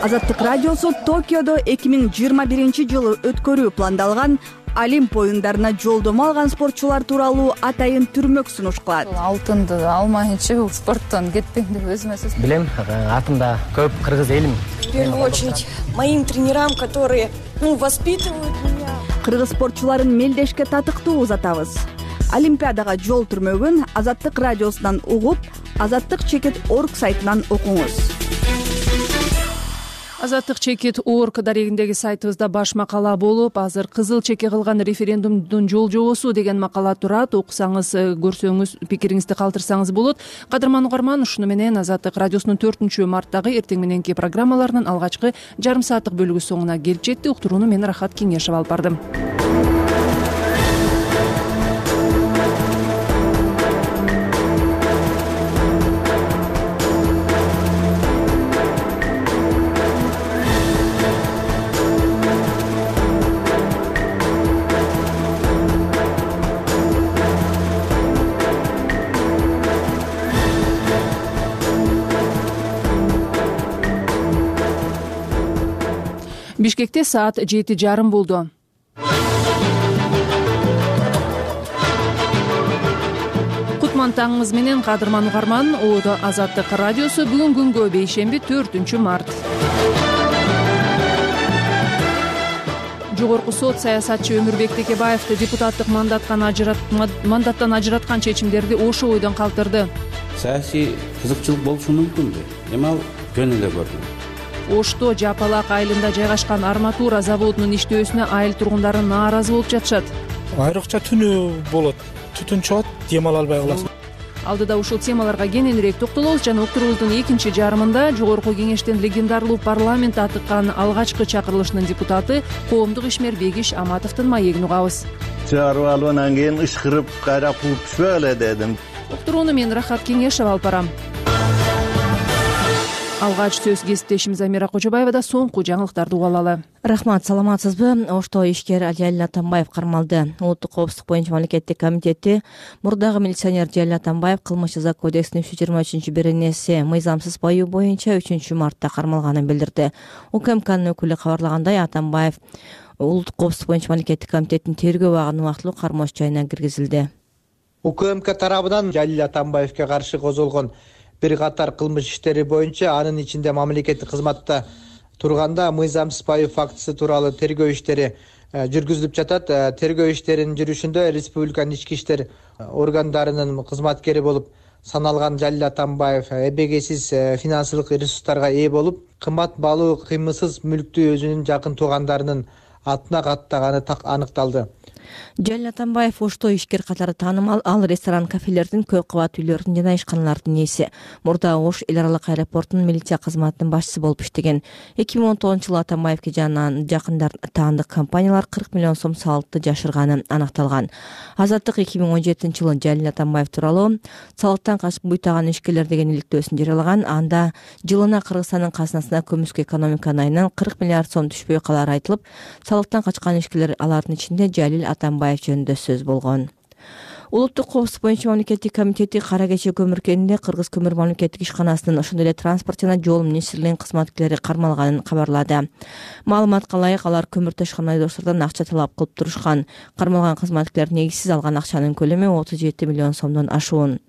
Азаттык радиосу Токиодо 2021 жылы өткөрүү пландалган Олимп оюндарына жолдомо алган спортчулар тууралуу атайын түрмөк сунуш кылат. Алтынды алмайынча бул спорттон кетпейм деп өзүмө сөз билем. Артымда көп кыргыз элим. В первую очередь моим тренерам, которые воспитывают меня. Кыргыз спортчуларын мелдешке татыктуу узатабыз. Олимпиадага жол түрмөгүн Азаттык радиосунан угуп, Азаттык-org сайтынан окуңуз. Азаттык-org дарегиндеги сайтыбызда баш макала болуп, азыр кызыл чеке кылган референдумдун жол жобосу деген макала турат. Окусаңыз, көрсөңүз, пикириңизди калтырсаңыз болот. Кадырман угарман, ушуну менен Азаттык радиосунун 4-марттагы эртең мененки программаларынын алгачкы жарым сааттык бөлүгү соңуна келип жетти. Уктурууну мен Рахат Кеңешева алып бардым. Бишкекте саат 7:30 болду. Кутман таңыңыз менен Кадырман угарман. Оодо Азаттык радиосу. Бүгүн күнгө бейшемби 4-март. Жогорку сот саясатчы Өмүрбек Текебаевди депутаттык мандаттан ажыраткан чечимдерди ошо ойдон калтырды. Саясий кызыкчылык болушу мүмкүнбү? Эми ал жөн эле көрдүм. Ошто Жапалак айылында жайгашкан арматура заводунун иштөөсүнө айыл тургундары нааразы болуп жатышат. Айрыкча түнү болот. Түтүн чыгат, дем ала албай каласың. Алдыда ушул темаларга кененирээк токтолобуз жана уктуруубуздун экинчи жарымында Жогорку Кеңештин легендарлуу парламент атыккан алгачкы чакырылышынын депутаты коомдук ишмер Бегиш Аматовдун маегин угабыз. Чыгарып алып анан кийин ышкырып кайра кууп түшпөгүлө дедим. Уктурууну мен Рахат Кеңешева алып барам. Алгач сөз кесиптешибиз Амира Кожобаева да соңку жаңылыктарды угуп алалы. Рахмат, саламатсызбы? Ошто ишкер Жалил Атамбаев кармалды. Улуттук коопсуздук боюнча мамлекеттик комитети мурдагы милиционер Жалил Атамбаев кылмыш жаза кодексинин 323-беренеси мыйзамсыз баюу боюнча 3-мартта кармалганын билдирди. УКМКнын өкүлү кабарлагандай, Атамбаев улуттук коопсуздук боюнча мамлекеттик комитеттин тергөө абагынын убактылуу кармош жайына киргизилди. УКМК тарабынан Жалил Атамбаевге каршы козголгон бир катар кылмыш иштери боюнча, анын ичинде мамлекеттик кызматта турганда мыйзамсыз баюу фактысы тууралуу тергөө иштери жүргүзүлүп жатат. Тергөө иштеринин жүрүшүндө республиканын ички иштер органдарынын кызматкери болуп саналган Жалил Атамбаев эбегейсиз финансылык ресурстарга ээ болуп, кымбат баалуу кыймылсыз мүлктү өзүнүн жакын туугандарынын атына каттаганы аныкталды. Жалил Атамбаев ошто ишкер катары таанымал. Ал ресторан, кафелердин, көп кабат үйлөрдүн жана ишканалардын ээси. Мурда Ош эл аралык аэропортунун милиция кызматынын башчысы болуп иштеген. 2010-жылы Атамбаевге жана жакындар таандык компаниялар 40 миллион сом салыкты жашырганы аныкталган. Азаттык 2017-жылы Жалил Атамбаев тууралуу салыктан качып буйтаган ишкерлер деген иликтөөсүн жарыялаган. Анда жылына Кыргызстандын казынасына көмүскө экономика айынан 40 миллиард сом түшпөй калары айтылып, салыктан качкан ишкерлер алардын ичинде Жалил Атамбаев жөнүндө сөз болгон. Улуттук коопсуздук боюнча мамлекеттик комитети Кара Кече көмүр кенинде Кыргыз көмүр мамлекеттик ишканасынын, ошондой эле транспорт жана жол министрлигинин кызматкерлери кармалганын кабарлады. Маалыматка ылайык, алар көмүр ташкан айдоочулардан акча талап кылып турушкан. Кармалган кызматкерлер негизсиз алган акчанын көлөмү 37 миллион сомдон ашуун.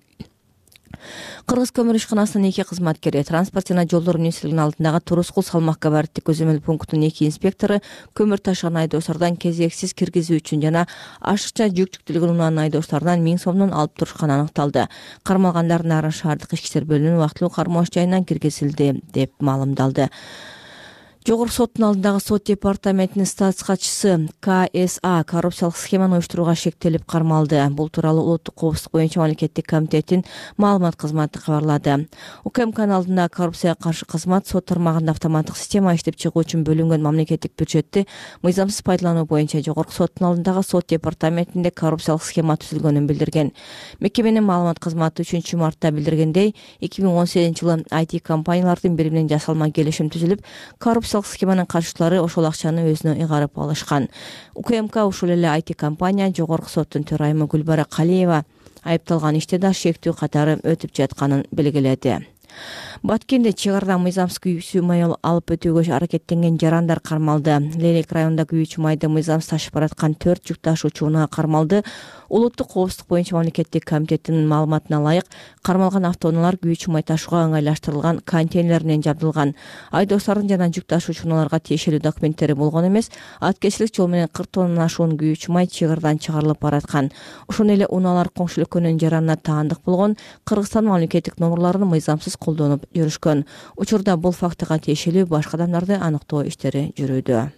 Кыргыз көмүр ишканасынын 2 кызматкери, транспорт жана жолдор министрлигинин алдындагы Турускул салмак габариттик көзөмөл пунктунун 2 инспектору көмүр ташыган айдоочулардан кезексиз киргизүү үчүн жана ашыкча жүк жүктүүлүгүн унаанын айдоочуларынан 1000 сомдон алып турушканы аныкталды. Кармалгандар Нарын шаардык ички иштер бөлүмүнүн убактылуу кармош жайына киргизилди деп маалымдалды. Жогорку соттун алдындагы сот департаментинин статс катчысы КСА коррупциялык схеманы уюштурууга шектелип кармалды. Бул тууралуу улуттук коопсуздук боюнча мамлекеттик комитеттин маалымат кызматы кабарлады. УКМКнын алдында коррупцияга каршы кызмат сот тармагында автоматтык система иштеп чыгуу үчүн бөлүнгөн мамлекеттик бюджетти мыйзамсыз пайдалануу боюнча жогорку соттун алдындагы сот департаментинде коррупциялык схема түзүлгөнүн билдирген. Мекеменин маалымат кызматы 3-мартта билдиргендей, 2018-жылы IT компаниялардын бири менен жасалма келишим түзүлүп, коррупциялык схеманын катышчылары ошол акчаны өзүнө ыйгарып алышкан. УКМК ушул эле IT компания жогорку соттун төрайымы Гүлбара Калиева айыпталган иште да шектүү катары өтүп жатканын белгиледи. Баткенде чыгарда мыйзамсыз күйүүчү май алып өтүүгө аракеттенген жарандар кармалды. Лелек районунда күйүүчү майды мыйзамсыз ташып бараткан 4 жүк ташуучу унаа кармалды. Улуттук коопсуздук боюнча мамлекеттик комитеттин маалыматына ылайык, кармалган автоунаалар күйүүчү май ташууга ыңгайлаштырылган контейнерлеринен жабдылган. Айдоочулардын жана жүк ташуучу унааларга тиешелүү документтери болгон эмес, аткечилик жол менен 40 тоннадан ашуун күйүүчү май чыгардан чыгарылып бараткан. Ошондой эле унаалар коңшу өлкөнүн жаранына таандык болгон Кыргызстан мамлекеттик номурларын мыйзамсыз колдонуп жүрүшкөн. Учурда бул фактыга тиешелүү башка адамдарды аныктоо иштери жүрүүдө.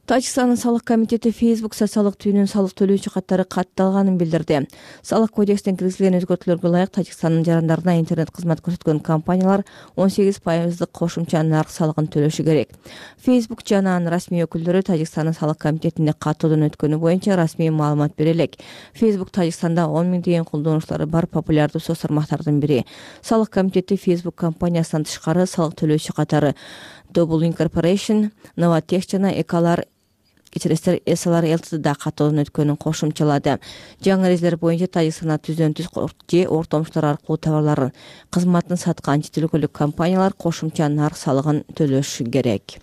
Тажикстандын салык комитети Facebook социалдык түйүнүн салык төлөөчү каттары катталганын билдирди. Салык кодекстен киргизилген өзгөртүүлөргө ылайык Тажикстандын жарандарына интернет кызмат көрсөткөн компаниялар 18% кошумча нарк салыгын төлөшү керек. Facebook жана анын расмий өкүлдөрү Тажикстандын салык комитетинде каттоодон өткөнү боюнча расмий маалымат бере элек. Facebook Тажикстанда 10 000 деген колдонуучулары бар популярдуу соц тармактардын бири. Салык комитети Facebook компаниясынан тышкары салык төлөөчү катары Double Incorporation, Novatech жана Эсалар Лтдда каттоодон өткөнүн кошумчалады. Жаңы эрежелер боюнча Тажикстанда түздөн-түз же ортомчулар аркылуу товарларын, кызматын саткан чет өлкөлүк компаниялар кошумча нарк салыгын төлөшү керек.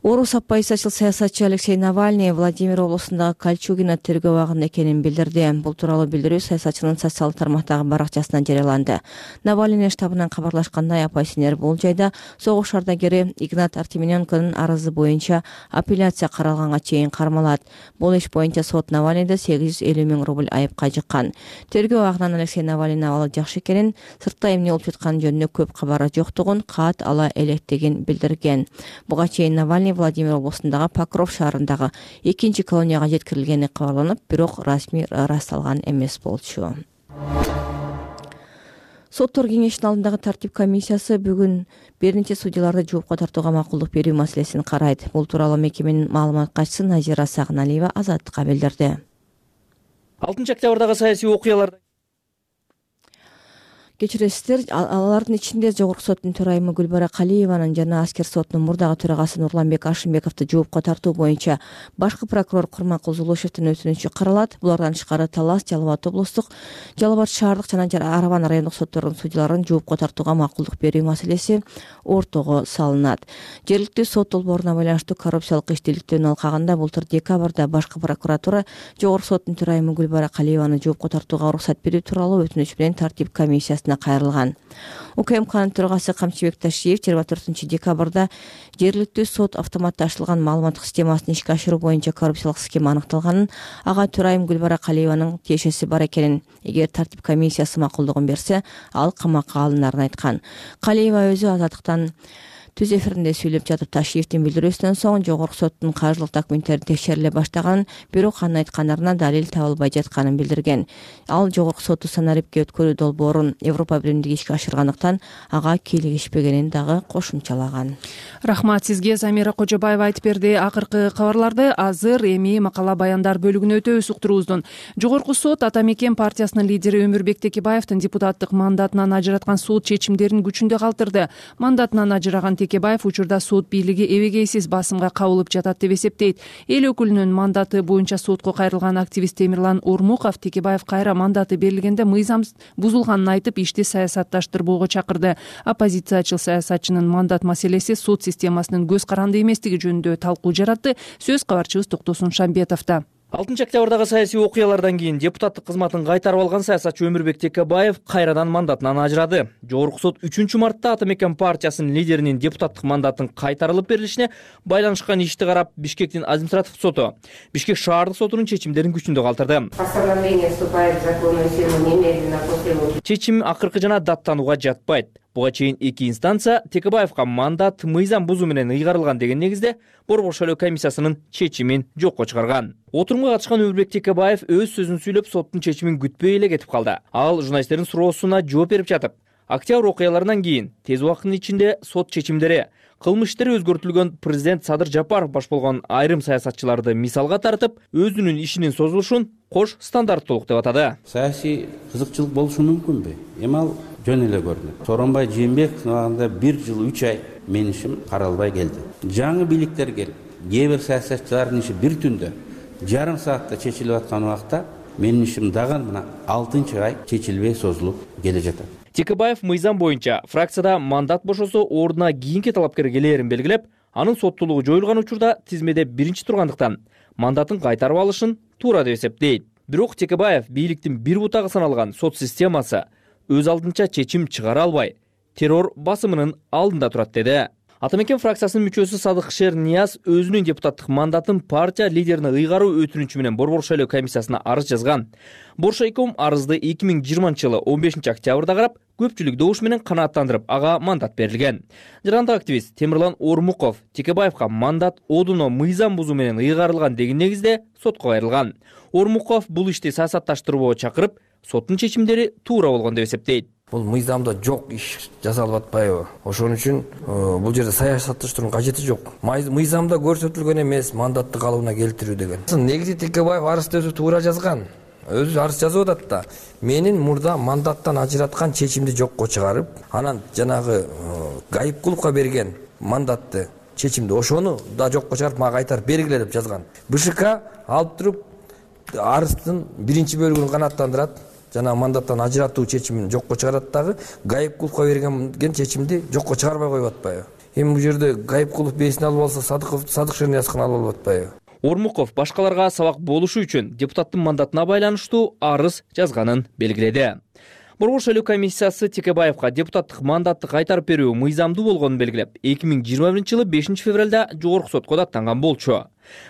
Орус оппозициячыл саясатчы Алексей Навальный Владимир облусундагы Кольчугино тергөө абагында экенин билдирди. Бул тууралуу билдирүү саясатчынын социалдык тармактагы баракчасынан жарыяланды. Навальный штабынан кабарлашкандай, оппозиционер бул жайда согуш ардагери Игнат Артемененконун арызы боюнча апелляция каралганга чейин кармалат. Бул иш боюнча сот Навальныйды 850 000 рубль айыпка жыккан. Тергөө абагынан Алексей Навальнийдин абалы жакшы экенин, сыртта эмне болуп жатканы жөнүндө көп кабары жоктугун каат ала электигин билдирген. Буга чейин Навальный Владимир облусундагы Покров шаарындагы 2-чи колонияга жеткирилгени кабарланып, бирок расмий ырасталган эмес болчу. Соттор кеңешинин алдындагы тартип комиссиясы бүгүн бир нече судьяларды жоопко тартууга макулдук берүү маселесин карайт. Бул тууралуу мекеменин маалымат катчысы Назира Сагыналиева Азаттыкка билдирди. 6-октябрдагы саясий окуяларда Кечиресиздер, алардын ичинде Жогорку соттун төрайымы Гүлбара Калиеванын жана аскер сотунун мурдагы төрагасы Нурланбек Ашимбековду жоопко тартуу боюнча башкы прокурор Курманкул Зулушевдин өтүнүчү каралат. Булардан тышкары Талас, Жалал Абад облустук, Жалал Абад шаардык жана Арабан райондук соттордун судьяларын жоопко тартууга макулдук берүү маселеси ортого салынат. Жергиликтүү сот долбооруна байланыштуу коррупциялык иштеликтөөнүн алкагында былтыр декабрда башкы прокуратура Жогорку соттун төрайымы Гүлбара Калиеваны жоопко тартууга уруксат берүү тууралуу өтүнүч менен тартип комиссиясы кайрылган. УКМКнын төрагасы Камчыбек Ташиев 24 декабрда жергиликтүү сот автоматташтырылган маалыматтык системасын ишке ашыруу боюнча коррупциялык схема аныкталганын, ага төрайым Гүлбара Калиеванын тиешеси бар экенин, эгер тартип комиссиясы макулдугун берсе, ал камакка алынарын айткан. Калиева өзү Азаттыктан түз эфиринде сүйлөп жатып Ташиевдин билдирүүсүнөн соң Жогорку соттун каржылык документтери текшериле баштаганын, бирок анын айткандарына далил табылбай жатканын билдирген. Ал Жогорку сотту санариптке өткөрүү долбоорун Европа биримдиги ишке ашыргандыктан ага кийлигишпегенин дагы кошумчалаган. Рахмат сизге, Замира Кожобаева айтып берди. Акыркы кабарларды азыр эми макала баяндар бөлүгүнө өтөбүз уктуруубуздун. Жогорку сот Ата Мекен партиясынын лидери Өмүрбек Текебаевдин депутаттык мандатынан ажыраткан суд чечимдерин күчүндө калтырды. Мандатынан ажыраган Текебаев учурда сот бийлиги эбегейсиз басымга кабылып жатат деп эсептейт. Эл өкүлүнүн мандаты боюнча сотко кайрылган активист Темирлан Ормуков Текебаев кайра мандаты берилгенде мыйзам бузулганын айтып, ишти саясатташтырбоого чакырды. Оппозициячыл саясатчынын мандат маселеси суд системасынын көз каранды эместиги жөнүндө талкуу жаратты. Сөз кабарчыбыз Токтосун Шамбетовдо. 6-октябрдагы саясий окуялардан кийин депутаттык кызматын кайтарып алган саясатчы Өмүрбек Текебаев кайрадан мандатынан ажырады. Жогорку сот 3-мартта Ата Мекен партиясынын лидеринин депутаттык мандатын кайтарылып берилишине байланышкан ишти карап, Бишкектин административдик соту Бишкек шаардык сотунун чечимдерин күчүндө калтырды. Чечим акыркы жана даттанууга жатпайт. Буга чейин 2 инстанция Текебаевга мандат мыйзам бузуу менен ыйгарылган деген негизде Борбор шайлоо комиссиясынын чечимин жокко чыгарган. Отурумга катышкан Өмүрбек Текебаев өз сөзүн сүйлөп, соттун чечимин күтпөй эле кетип калды. Ал журналисттердин суроосуна жооп берип жатып, октябрь окуяларынан кийин тез убакыттын ичинде сот чечимдери, кылмыш иштери өзгөртүлгөн президент Садыр Жапаров баш болгон айрым саясатчыларды мисалга тартып, өзүнүн ишинин созулушун кош стандарттуулук деп атады. Саясий кызыкчылык болушу мүмкүнбү? Эми ал жөн эле көрүнөт. Сооронбай Жээнбековдун абагында 1 жыл 3 ай менин ишим каралбай келди. Жаңы бийликтер келип, кээ бир саясатчылардын иши бир түндө, жарым саатта чечилип аткан убакта Менин ишим дагы мына 6-ай чечилбей созулуп келе жатат. Текебаев мыйзам боюнча фракцияда мандат бошосо ордуна кийинки талапкер келээрин белгилеп, анын соттуулугу жоюлган учурда тизмеде биринчи тургандыктан мандатын кайтарып алышын туура деп эсептейт. Бирок Текебаев бийликтин бир бутагы саналган сот системасы өз алдынча чечим чыгара албай, террор басымынын алдында турат деди. Ата мекен фракциясынын мүчөсү Садыкшер Нияз өзүнүн депутаттык мандатын партия лидерине ыйгаруу өтүнүчү менен Борбор шайлоо комиссиясына арыз жазган. Боршайком арызды 2020-жылы 15-октябрда карап, көпчүлүк добуш менен канааттандырып, ага мандат берилген. Жарандык активист Темирлан Ормуков Текебаевка мандат одуно мыйзам бузуу менен ыйгарылган деген негизде сотко кайрылган. Ормуков бул ишти саясатташтырбоо чакырып, соттун чечимдери туура болгон деп эсептейт. Бул мыйзамда жок иш жасалып атпайбы? Ошон үчүн бул жерде саясатташтырууга кажети жок. Мыйзамда көрсөтүлгөн эмес мандатты калыбына келтирүү деген. Негизи Текебаев арызды өзү туура жазган. Өзү арыз жазып атат да. Менин мурда мандаттан ажыраткан чечимди жокко чыгарып, анан жанагы Гайыпкуловго берген мандатты чечимди ошону да жокко чыгарып мага кайтарып бергиле деп жазган. БШК алып туруп арыздын биринчи бөлүгүн канааттандырат. Жана мандаттан ажыратуу чечимин жокко чыгарат дагы Гайыпкуловго берген чечимди жокко чыгарбай коюп атпайбы? Эми бул жерде Гайыпкулов бесин алып алса, Садыкшер Ниязовдун алып атпайбы? Ормуков башкаларга сабак болушу үчүн депутаттын мандатына байланыштуу арыз жазганын белгиледи. Борбор шайлоо комиссиясы Текебаевка депутаттык мандатты кайтарып берүү мыйзамдуу болгонун белгилеп, 2021-жылы 5-февралда жогорку сотко даттанган болчу.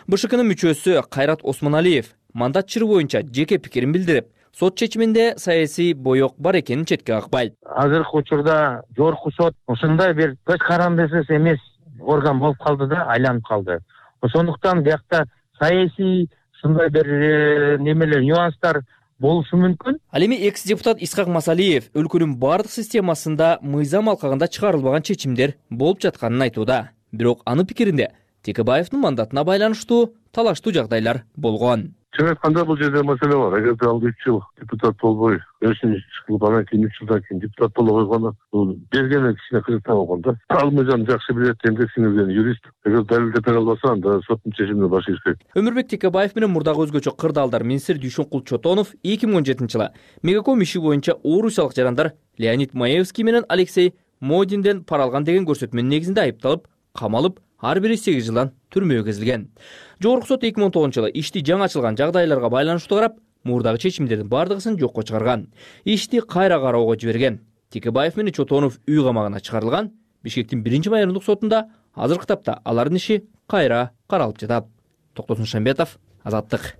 БШКнын мүчөсү Кайрат Осмоналиев мандат чыры боюнча жеке пикирин билдирип, сот чечиминде саясий боек бар экенин четке какпайт. Азыркы учурда жогорку сот ушундай бир көз карандысыз эмес орган болуп калды да, айланып калды. Ошондуктан биякта саясий ушундай бир немелер, нюанстар болушу мүмкүн. Ал эми экс-депутат Исхак Масалиев өлкөнүн бардык системасында мыйзам алкагында чыгарылбаган чечимдер болуп жатканын айтууда. Бирок анын пикиринде Текебаевдин мандатына байланыштуу талаштуу жагдайлар болгон. Чын айтканда бул жерде маселе бар. Эгерде ал 3 жыл депутат болбой, 5-чи кылып анан кийин 3 жылдан кийин депутат боло койгону, бул бергени кичине кызыктаа болгон да. Ал мыйзам жакшы билет, эмгек сиңирген юрист. Эгер далилдеп бере албаса, анда соттун чечимине баш ийишпейт. Өмүрбек Текебаев менен мурдагы өзгөчө кырдаалдар министри Дүйшөнкул Чотонов 2017-жылы Мегаком иши боюнча орусиялык жарандар Леонид Маевский менен Алексей Модинден пара алган деген көрсөтмөнүн негизинде айыпталып, камалып, ар бири 8 жылдан түрмөгө кезилген. Жогорку сот 2019-жылы ишти жаңы ачылган жагдайларга байланыштуу карап, мурдагы чечимдердин бардыгын жокко чыгарган. Ишти кайра кароого жиберген. Текебаев менен Чотонов үй камагына чыгарылган. Бишкектин 1-майрындык сотунда азыркы тапта алардын иши кайра каралып жатат. Токтосун Шамбетов, Азаттык.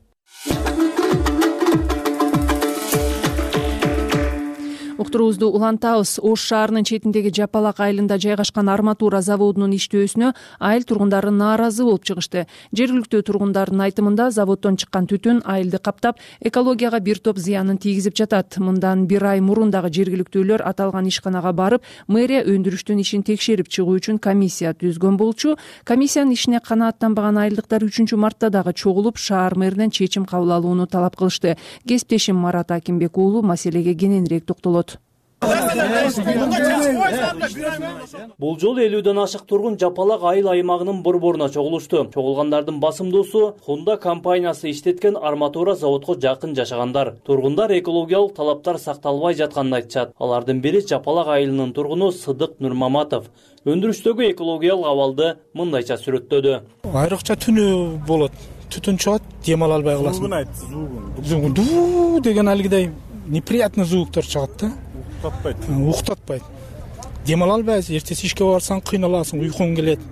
Уктуруубузду улантабыз. Ош шаарынын четиндеги Жапалак айылында жайгашкан арматура заводунун иштөөсүнө айыл тургундары нааразы болуп чыгышты. Жергиликтүү тургундардын айтымында заводдон чыккан түтүн айылды каптап, экологияга бир топ зыянын тийгизип жатат. Мындан 1 ай мурун дагы жергиликтүүлөр аталган ишканага барып, мэрия өндүрүштүн ишин текшерип чыгуу үчүн комиссия түзгөн болчу. Комиссиянын ишине канааттанбаган айылдыктар 3-мартта дагы чогулуп, шаар мэринен чечим кабыл алууну талап кылышты. Кесиптешим Марат Акимбек уулу маселеге кененирээк токтолот. Бул жолу 50ден ашык тургун Жапалак айыл аймагынын борборуна чогулушту. Чогулгандардын басымдуусу Honda компаниясы иштеткен арматура заводко жакын жашагандар. Тургундар экологиялык талаптар сакталбай жатканын айтышат. Алардын бири Жапалак айылынын тургуну Сыдык Нурмаматов. Өндүрүштөгү экологиялык абалды мындайча сүрөттөдү. Айрыкча түнү болот. Түтүн чыгат, дем ала албай каласың. Зугун айт, зугун. Ду деген алгыдай неприятный звуктар чыгат да. Уктатпайт. Дем ала албайсың, эртеси ишке барсаң кыйналасың, уйкуң келет.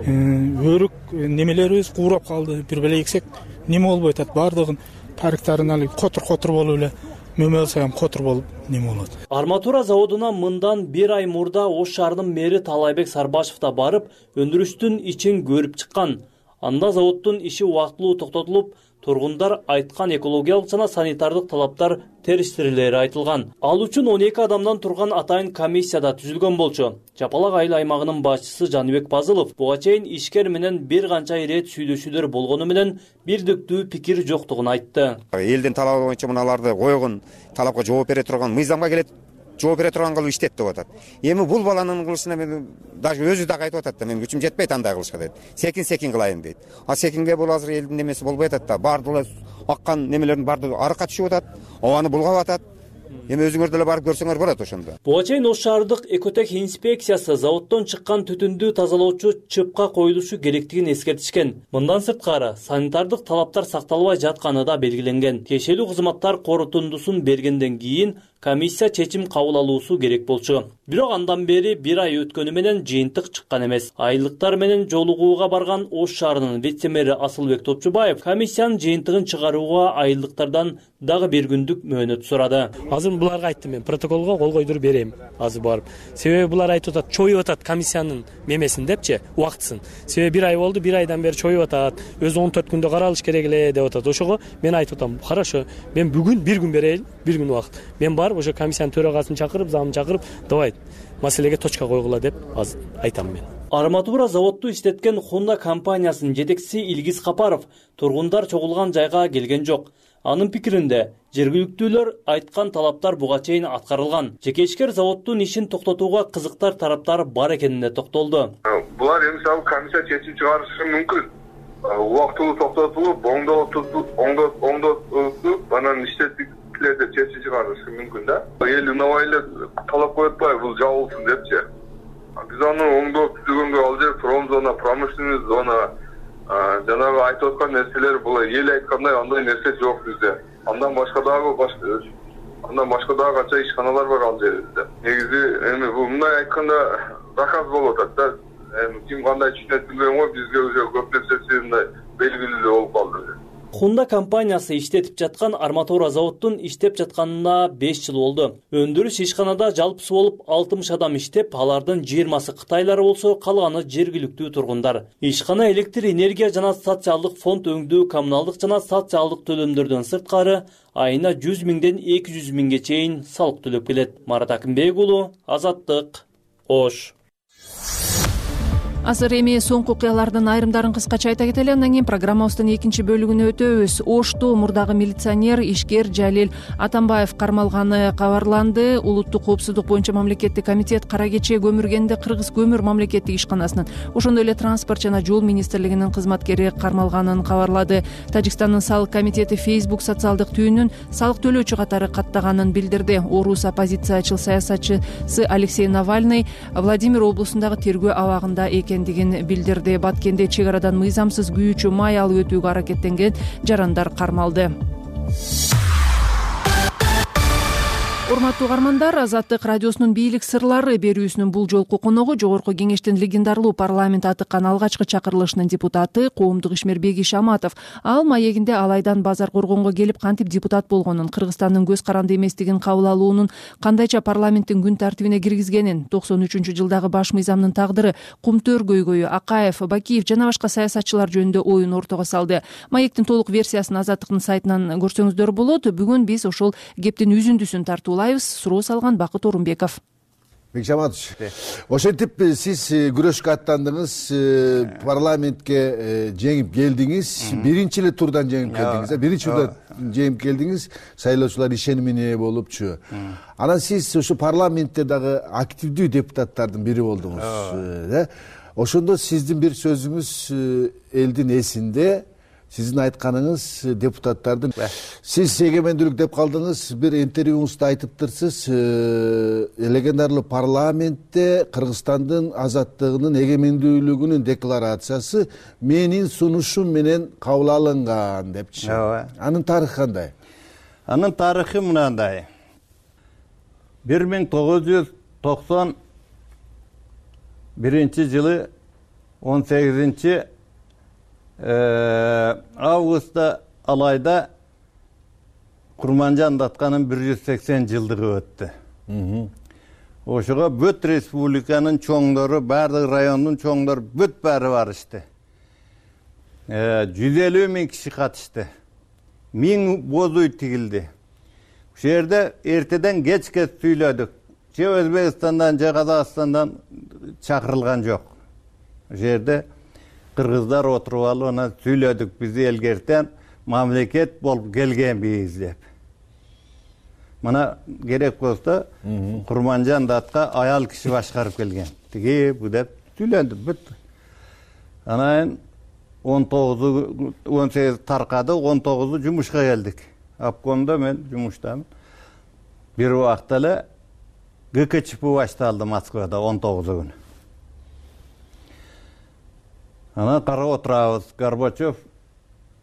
Өрүк немелерибиз куурап калды. Бир беле эксек неме болбой атат, бардыгын парктарын алып котур болуп эле мөмө алсам котур болуп неме болот. Арматура заводуна мындан 1 ай мурда Ош шаарынын мэри Талайбек Сарбашев да барып, өндүрүштүн ичин көрүп чыккан. Анда заводдун иши убактылуу токтотулуп, тургундар айткан экологиялык жана санитардык талаптар териштирилери айтылган. Ал үчүн 12 адамдан турган атайын комиссияда түзүлгөн болчу. Жапалак айыл аймагынын башчысы Жаныбек Базылов буга чейин ишкер менен бир канча ирет сүйлөшүүлөр болгону менен бирдиктүү пикир жоктугун айтты. Элдин талабы боюнча мыналарды койгон, талапка жооп бере турган, мыйзамга келет, жооп бере турган кылып иштет деп атат. Эми бул баланын кылышына мен даже өзү да айтып атат да, мен күчүм жетпейт андай кылышка дейт. Секин кылайын дейт. А секинге бул азыр элдин немеси болбой атат да, бардыгы аккан немелердин баардыгы арыкка түшүп атат, абаны булгап атат. Эми өзүңөр деле барып көрсөңөр болот ошондо. Буга чейин Ош шаардык экотех инспекциясы заводдон чыккан түтүндү тазалоочу чыпка коюлушу керектигин эскертишкен. Мындан сырткары санитардык талаптар сакталбай жатканы да белгиленген. Тиешелүү кызматтар корутундусун бергенден кийин комиссия чечим кабыл алуусу керек болчу. Бирок андан бери 1 ай өткөнү менен жыйынтык чыккан эмес. Айылдыктар менен жолугууга барган Ош шаарынын вице-мэри Асылбек Топчубаев комиссиянын жыйынтыгын чыгарууга айылдыктардан дагы 1 күндүк мөөнөт сурады. Азыр буларга айттым, мен протоколго кол койдуруп берем азыр барып. Себеби булар айтып атат, чоюп атат комиссиянын мемесин депчи, убактысын. Себеби 1 ай болду, 1 айдан бери чоюп атат. Өзү 14 күндө каралыш керек эле деп атат. Ошого мен айтып атам, хорошо, мен бүгүн 1 күн берейин, 1 күн убакыт. Мен барып ошо комиссиянын төрагасын чакырып, замын чакырып, давай маселеге точка койгула деп азыр айтам мен. Арматура заводду иштеткен Honda компаниясынын жетекчиси Илгиз Капаров тургундар чогулган жайга келген жок. Анын пикиринде, жергиликтүүлөр айткан талаптар буга чейин аткарылган. Жеке ишкер заводдун ишин токтотууга кызыктар тараптар бар экенине токтолду. Булар мисалы комиссия чечим чыгарышы мүмкүн. Убактылуу токтотулуп, оңдотуп, анан иштетиктерди чечим чыгарышы мүмкүн да. Эл унабай эле талап коюп атпайбы, бул жабылсын депчи. Биз аны оңдоп түзгөнгө ал жер промзона, промышленный зона, жанагы айтып аткан нерселер бул эл айткандай андай нерсе жок бизде. Андан башка дагы канча ишканалар бар ал жерде. Негизи эми бул мындай айтканда заказ болуп атат да. Ким кандай түшүнөт билбейм го, бизге уже көп нерсеси мындай белгилүү болуп калды. Honda компаниясы иштетип жаткан арматура заводдун иштеп жатканына 5 жыл болду. Өндүрүш ишканада жалпысы болуп 60 адам иштеп, алардын 20сы кытайлар болсо, калганы жергиликтүү тургундар. Ишкана электр энергия жана социалдык фонд өңдүү, коммуналдык жана социалдык төлөмдөрдөн сырткары айына 100 миңден 200 миңге чейин салык төлөп келет. Марат Акимбек уулу, Азаттык, Ош. Азыр эми соңку окуялардын айрымдарын кыскача айта кетели, андан кийин программабыздын экинчи бөлүгүнө өтөбүз. Ошто мурдагы милиционер ишкер Жалил Атамбаев кармалганы кабарланды. Улуттук коопсуздук боюнча мамлекеттик комитет кара кече көмүргенде Кыргыз көмүр мамлекеттик ишканасынын, ошондой эле транспорт жана жол министрлигинин кызматкери кармалганын кабарлады. Тажикстандын салык комитети Facebook социалдык түйүнүн салык төлөөчү катары каттаганын билдирди. Орус оппозициячыл саясатчысы Алексей Навальный Владимир облусундагы тергөө абагында экендигин билдирди. Баткенде чек арадан мыйзамсыз күйүүчү май алып өтүүгө аракеттенген жарандар кармалды. Урматтуу угармандар, Азаттык радиосунун бийлик сырлары берүүсүнүн бул жолку коногу Жогорку Кеңештин легендарлуу парламент атыккан алгачкы чакырылышынын депутаты коомдук ишмер Бегиш Аматов. Ал маегинде Алайдан базар коргонго келип кантип депутат болгонун, Кыргызстандын көз каранды эместигин кабыл алуунун кандайча парламенттин күн тартибине киргизгенин, 93-жылдагы баш мыйзамдын тагдыры, Кумтөр көйгөйү, Акаев, Бакиев жана башка саясатчылар жөнүндө оюн ортого салды. Маектин толук версиясын Азаттыктын сайтынан көрсөңүздөр болот. Бүгүн биз ошол кептин үзүндүсүн тартуулайбыз. Суроо салган Бакыт Орунбеков. Бекиш Аматович, ошентип сиз күрөшкө аттандыңыз, парламентке жеңип келдиңиз, биринчи эле турдан жеңип келдиңиз, биринчи турдан жеңип келдиңиз, шайлоочулар ишенимине болупчу. Анан сиз ошо парламентте дагы активдүү депутаттардын бири болдуңуз. Ошондо сиздин бир сөзүңүз элдин эсинде. Сиздин айтканыңыз депутаттардын, сиз эгемендүүлүк деп калдыңыз, бир интервьюңузда айтыптырсыз, легендарлуу парламентте Кыргызстандын азаттыгынын эгемендүүлүгүнүн декларациясы менин сунушум менен кабыл алынган депчи. Анын тарыхы кандай? Анын тарыхы мынандай. 1991-жылы 18 августта Алайда Курманжан Датканын 180 жылдыгы өттү. Ошого бүт республиканын чоңдору, бардык райондун чоңдору бүт баары барышты. 150 миң киши катышты. 1000 боз үй тигилди. Ошол жерде эртеден кечке сүйлөдүк. Же Өзбекстандан, же Казакстандан чакырылган жок. Ошол жерде кыргыздар отуруп алып, анан сүйлөдүк, бизди элгертен мамлекет болуп келгенбиз деп. Мына керек болсо Курманжан Датка аял киши башкарып келген. Тиги бу деп сүйлөндүк бүт. Анан 18 таркады, 19 жумушка келдик. Обкомдо мен жумуштамын. Бир убакта эле ГКЧП башталды Москвада 19 күнү. Анан карап отурабыз. Горбачев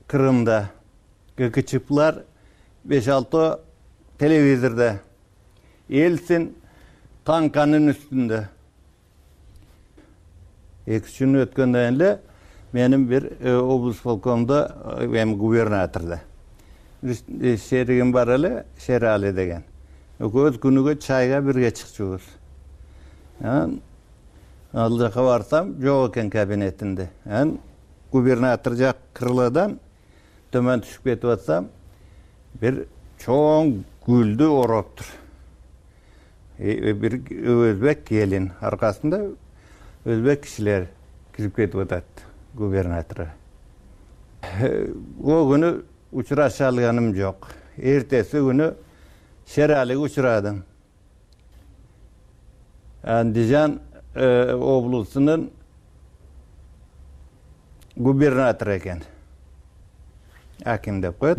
Крымда, ГКЧПлар 5-6 телевизорда, Эльцин танканын үстүндө. 2 күн өткөндөн эле менин бир облус полкомдо губернаторда шеригим бар эле, Шерали деген. Экөөбүз күнүгө чайга бирге чыкчубуз. Ал жака барсам, жок экен кабинетинде. Губернатор жак крылодан төмөн түшүп кетип атсам, бир чоң гүлдү ороптур. Бир өзбек келин, аркасында өзбек кишилер кирип кетип атат губернаторго. О күнү учураша алганым жок. Эртеси күнү Шералиге учурадым. Андижан облусунун губернатору экен. Аким деп коет.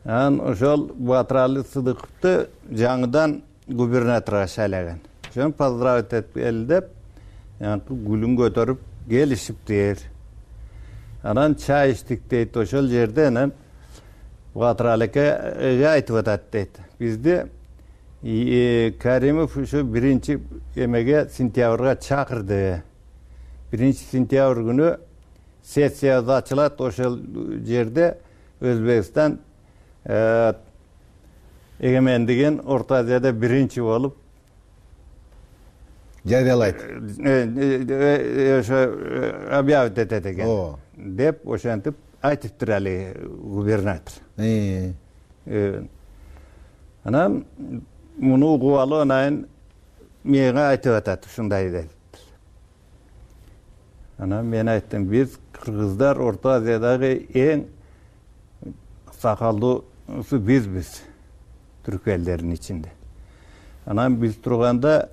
Ошол Батыралы Сыдыковду жаңыдан губернаторга шайлаган. Ошону поздравить этип кел деп, гүлүн көтөрүп келишиптир. Анан чай ичтик дейт, ошол жерде анан Батыралеке айтып атат дейт. Бизди Каримов ушу 1 эмеге сентябрга чакырды. 1 сентябрь күнү сессия ачылат, ошол жерде Өзбекстан эгемендигин Орто Азияда 1 болуп жарыялайт. Ошо объявить этет экен деп ошентип айтыптыр али губернатор. Анан муну угуп алып анан мага айтып атат ушундай деп. Анан мен айттым, биз кыргыздар Орто Азиядагы эң сакалдуусу бизбиз, түрк элдеринин ичинде. Анан биз турганда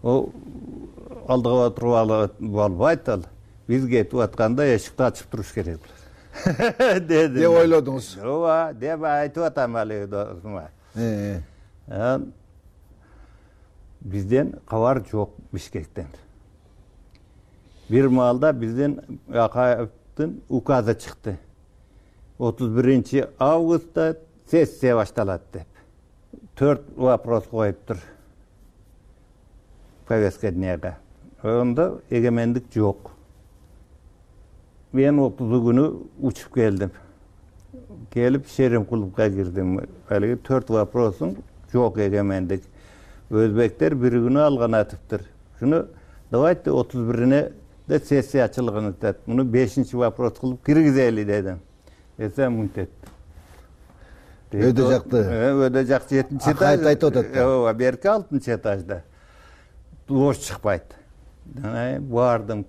алдыга отуруп болбойт ал. Биз кетип атканда эшикти ачып туруш керек деди. Деп ойлодуңуз? Ооба, деп айтып атам али досума. Бизден кабар жок Бишкектен. Бир маалда бизден Акаевдин указы чыкты. 31 августта сессия башталат деп. 4 вопрос коюптур повестка дняга. Онда эгемендик жок. Мен 30 күнү учуп келдим. Келип Шерим клубга кирдим. Алиги 4 вопросун жок эгемендик. Өзбектер бир күнү алган атыптыр. Шуну давайте 31-ине де сессия ачылган атат. Муну 5 вопрос кылып киргизели дедим. Десем мынтет. Өдө жакты. Өдө жак 7-чи этаж. Айтып атат. Ооба, берки 6-чы этажда. Бош чыкпайт. Бардым,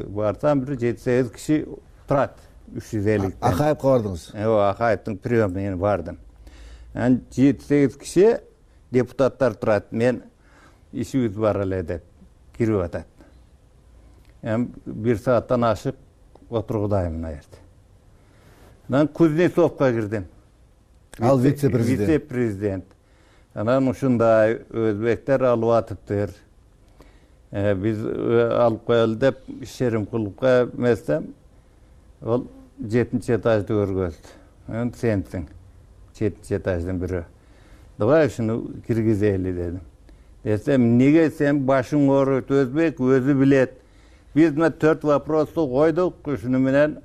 барсам бир 7-8 киши турат. 350. Акаевке бардыңыз? Ооба, Акаевдин приёмына бардым. 7-8 киши депутаттар турат. Мен ишибиз бар эле деп кирип атат. 1 сааттан ашык отургудаймын мына жерде. Анан Кузнецовко кирдим. Ал вице-президент. Вице-президент. Анан ушундай өзбектер алып атыптыр. Биз алып коелу деп Шерим клубга эместем. Ол 7-чи этажды көргөздү. Анан сенсиң. 7-чи этаждын бирөө. Давай ушуну киргизели дедим. Десем, неге сен башың ооруйт, өзбек өзү билет. Биз мына 4 вопросту койдук, ушуну менен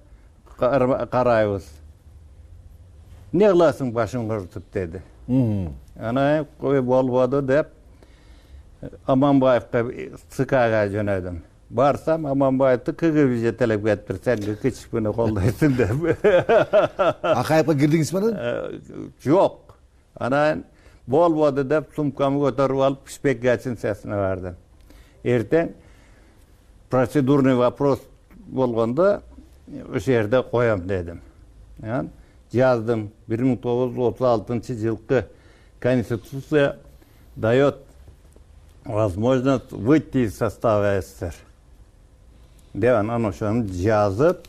карайбыз. Не кыласың башың ооруп деди. Анан кой болбоду деп Аманбаевка ЦКга жөнөдүм. Барсам Аманбаевди КГБ жетелеп кетиптир, сен КЧПны колдойсуң деп. Акаевке кирдиңизби анан? Жок. Анан болбоду деп сумкамды көтөрүп алып Пишпек гостиницасына бардым. Эртең процедурный вопрос болгондо ошол жерде коем дедим. Жаздым. 1936-жылкы Конституция дает возможность выйти из состава СССР. деп анан ошону жазып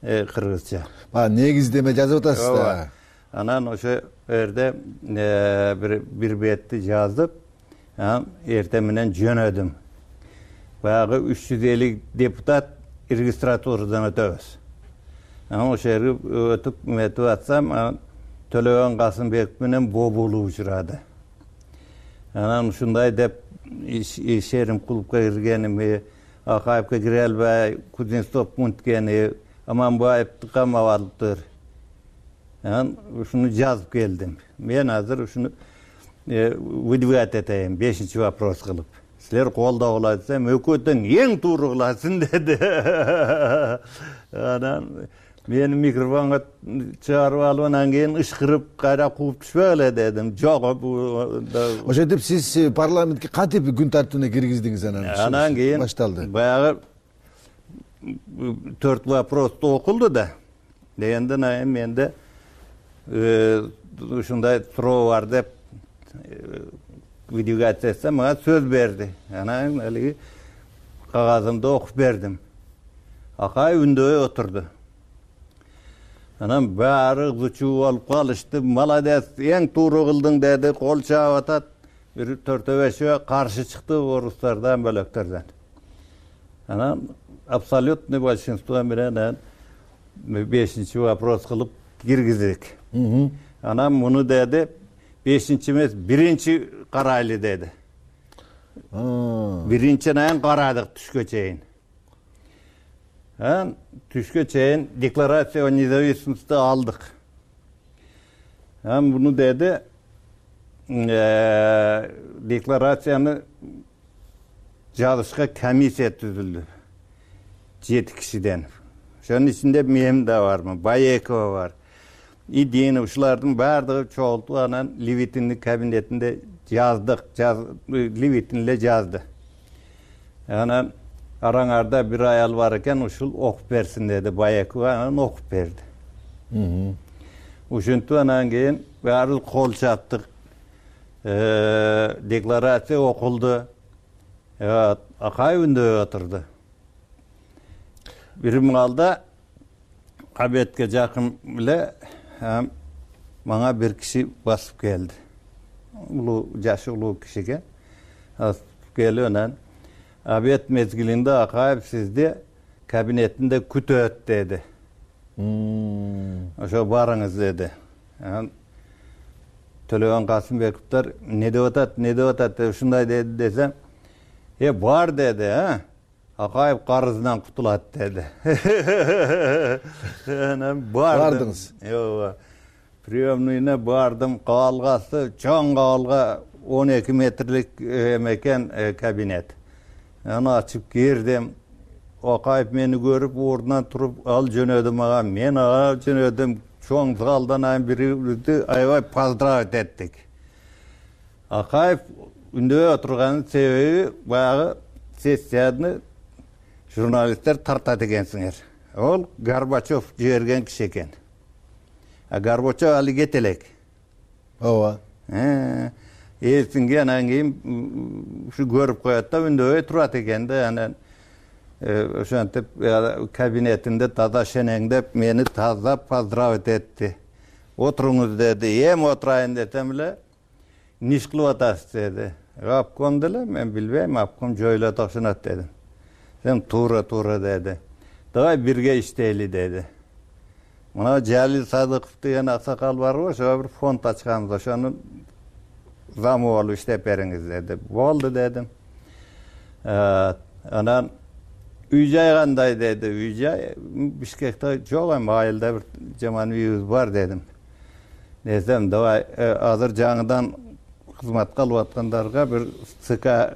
кыргызча негиздеме жазып атасыз да. Анан ошо жерде бир бетти жазып, анан эртең менен жөнөдүм. Баягы 350 депутат регистратурадан өтөбүз. Анан ошо жерге өтүп метип атсам, Төлөгөн Касымбеков менен Бобулу учурады. Анан ушундай деп ишерим клубка киргеними, Акаевке кире албай, Кузнецов мынткени, Аманбаевди камап алыптыр. Анан ушуну жазып келдим. Мен азыр ушуну выдвигать этейин, 5-чи вопрос кылып. Силер колдоп алат десем, өкөтөң эң туура кыласың деди. Анан мени микрофонго чыгарып алып, анан кийин ышкырып кайра кууп түшпөгүлө дедим. Жок, ошентип сиз парламентке кантип күн тартибине киргиздиңиз анан кийин башталды. Баягы 4 вопросту окулду да. Дегенден кийин менде ушундай суроо бар деп выдвигать этсем, мага сөз берди. Анан алиги кагазымды окуп бердим. Акай үндөй отурду. Анан баары ызычуу болуп калышты. Молодец, эң туура кылдың деди, кол чаап атат. Бир 4-5 каршы чыкты орустардан, бөлөктөрдөн. Анан абсолютный большинство менен 5-чи вопрос кылып киргиздик. Анан муну деди, 5-чи эмес, 1-чи карайлы деди. 1-чинен карадык түшкө чейин. Анан түшкө чейин декларация о независимости алдык. Анан муну деди, декларацияны жазышка комиссия түзүлдү. 7 кишиден. Ошонун ичинде мен да бармын, Баекова бар. Идеяны ушулардын баардыгы чогултуп, анан Левитиндин кабинетинде жаздык, Левитин эле жазды. Анан араңарда бир аял бар экен, ушул окуп берсин деди Баекова, анан окуп берди. Ушинтип анан кийин баары кол чаптык. Декларация окулду. Акай үндөй отурду. Бир маалда абетке жакын эле мага бир киши басып келди. Жашы улуу кишиге басып келип, анан абет мезгилинде Акаев сизди кабинетинде күтөт деди. Ошо барыңыз деди. Анан Төлөгөн Касымбековдор не деп атат, ушундай деди десем, бар деди, Акаев карызынан кутулат деди. Анан бардыңыз. Приемныйына бардым, кабалгасы чоң кабалга 12 метрлик экен кабинет. Аны ачып кирдим. Акаев мени көрүп, ордунан туруп, ал жөнөдү мага. Мен ага жөнөдүм. Чоң залдан бирибизди аябай поздравить эттик. Акаев үндөй отурганын себеби баягы сессияны журналисттер тартат экенсиңер. Ол Горбачев жиберген киши экен. Горбачев али кете элек. Ооба. Эсинге анан кийин ушу көрүп коет да, үндөй турат экен да, анан ошентип кабинетинде таза шенеңдеп мени таза поздравить этти. Отуруңуз деди. Эми отурайын десем эле, не иш кылып атасыз деди. Обком деле, мен билбейм, обком жоюла токшонот дедим. Сен туура деди. Давай бирге иштейли деди. Мына Жалил Садыков деген аксакал барбы, ошо бир фонд ачканбыз, ошонун замы болуп иштеп бериңиз деди. Болду дедим. Анан үй-жай кандай деди. Үй-жай Бишкекте жок, эми айылда бир жаман үйүбүз бар дедим. Десем, давай азыр жаңыдан кызматка алып аткандарга бир СК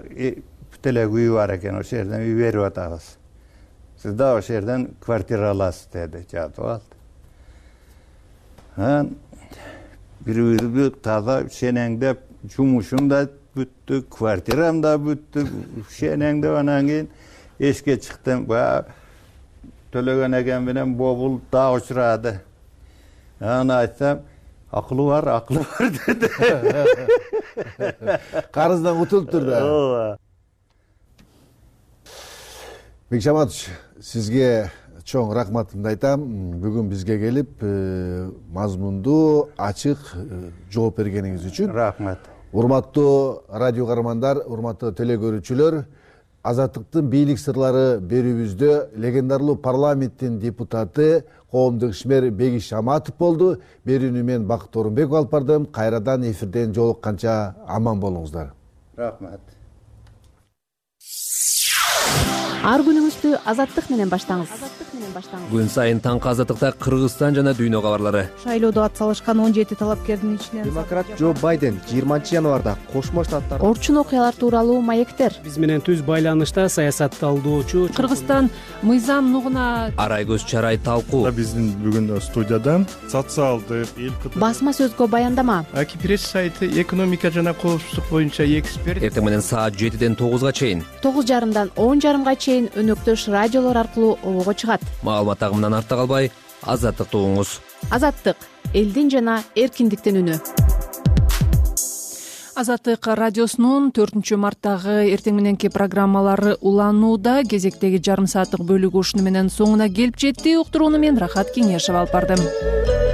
бүтөлөк үй бар экен, ошол жерден үй берип атабыз. Сиз да ошол жерден квартира аласыз деди, жатып алды. Анан бири-бирибизди таза шенеңдеп, жумушум да бүттү, квартирам да бүттү, шенеңдеп, анан кийин эшикке чыктым. Төлөгөн экен менен Бобул да учурады. Анан айтсам, акылы бар деди. Карыздан кутулуптур да. Ооба. Бекшаматович, сизге чоң рахматымды айтам. Бүгүн бизге келип, мазмундуу, ачык жооп бергениңиз үчүн. Рахмат. Урматтуу радио каармандар, урматтуу телекөрүүчүлөр, Азаттыктын бийлик сырлары берүүбүздө легендарлуу парламенттин депутаты, коомдук ишмер Бегиш Шаматов болду. Берүүнү мен Бакыт Орунбеков алып бардым. Кайрадан эфирден жолукканча аман болуңуздар. Рахмат. Ар күнүңүздү Азаттык менен баштаңыз. Күн сайын таңкы Азаттыкта Кыргызстан жана дүйнө кабарлары. Шайлоодо ат салышкан 17 талапкердин ичинен демократ Джо Байден 20 январда Кошмо Штаттар орчун окуялар тууралуу маектер. Биз менен түз байланышта саясатталуучу Кыргызстан мыйзам нугуна Арай көз чарай талкуу. Биздин бүгүн студияда социалдык басма сөзгө баяндама. Акипресс сайты экономика жана коопсуздук боюнча эксперт. Эртең менен саат 7ден 9га чейин, 9:30дан 10:30га чейин өнөктөш радиолор аркылуу обого чыгат. Маалымат агымынан артта калбай, Азаттыкты угуңуз. Азаттык — элдин жана эркиндиктин үнү. Азаттык радиосунун 4 марттагы эртең мененки программалары уланууда. Кезектеги жарым сааттык бөлүгү ушуну менен соңуна келип жетти. Уктурууну мен Рахат Кеңешева алып бардым.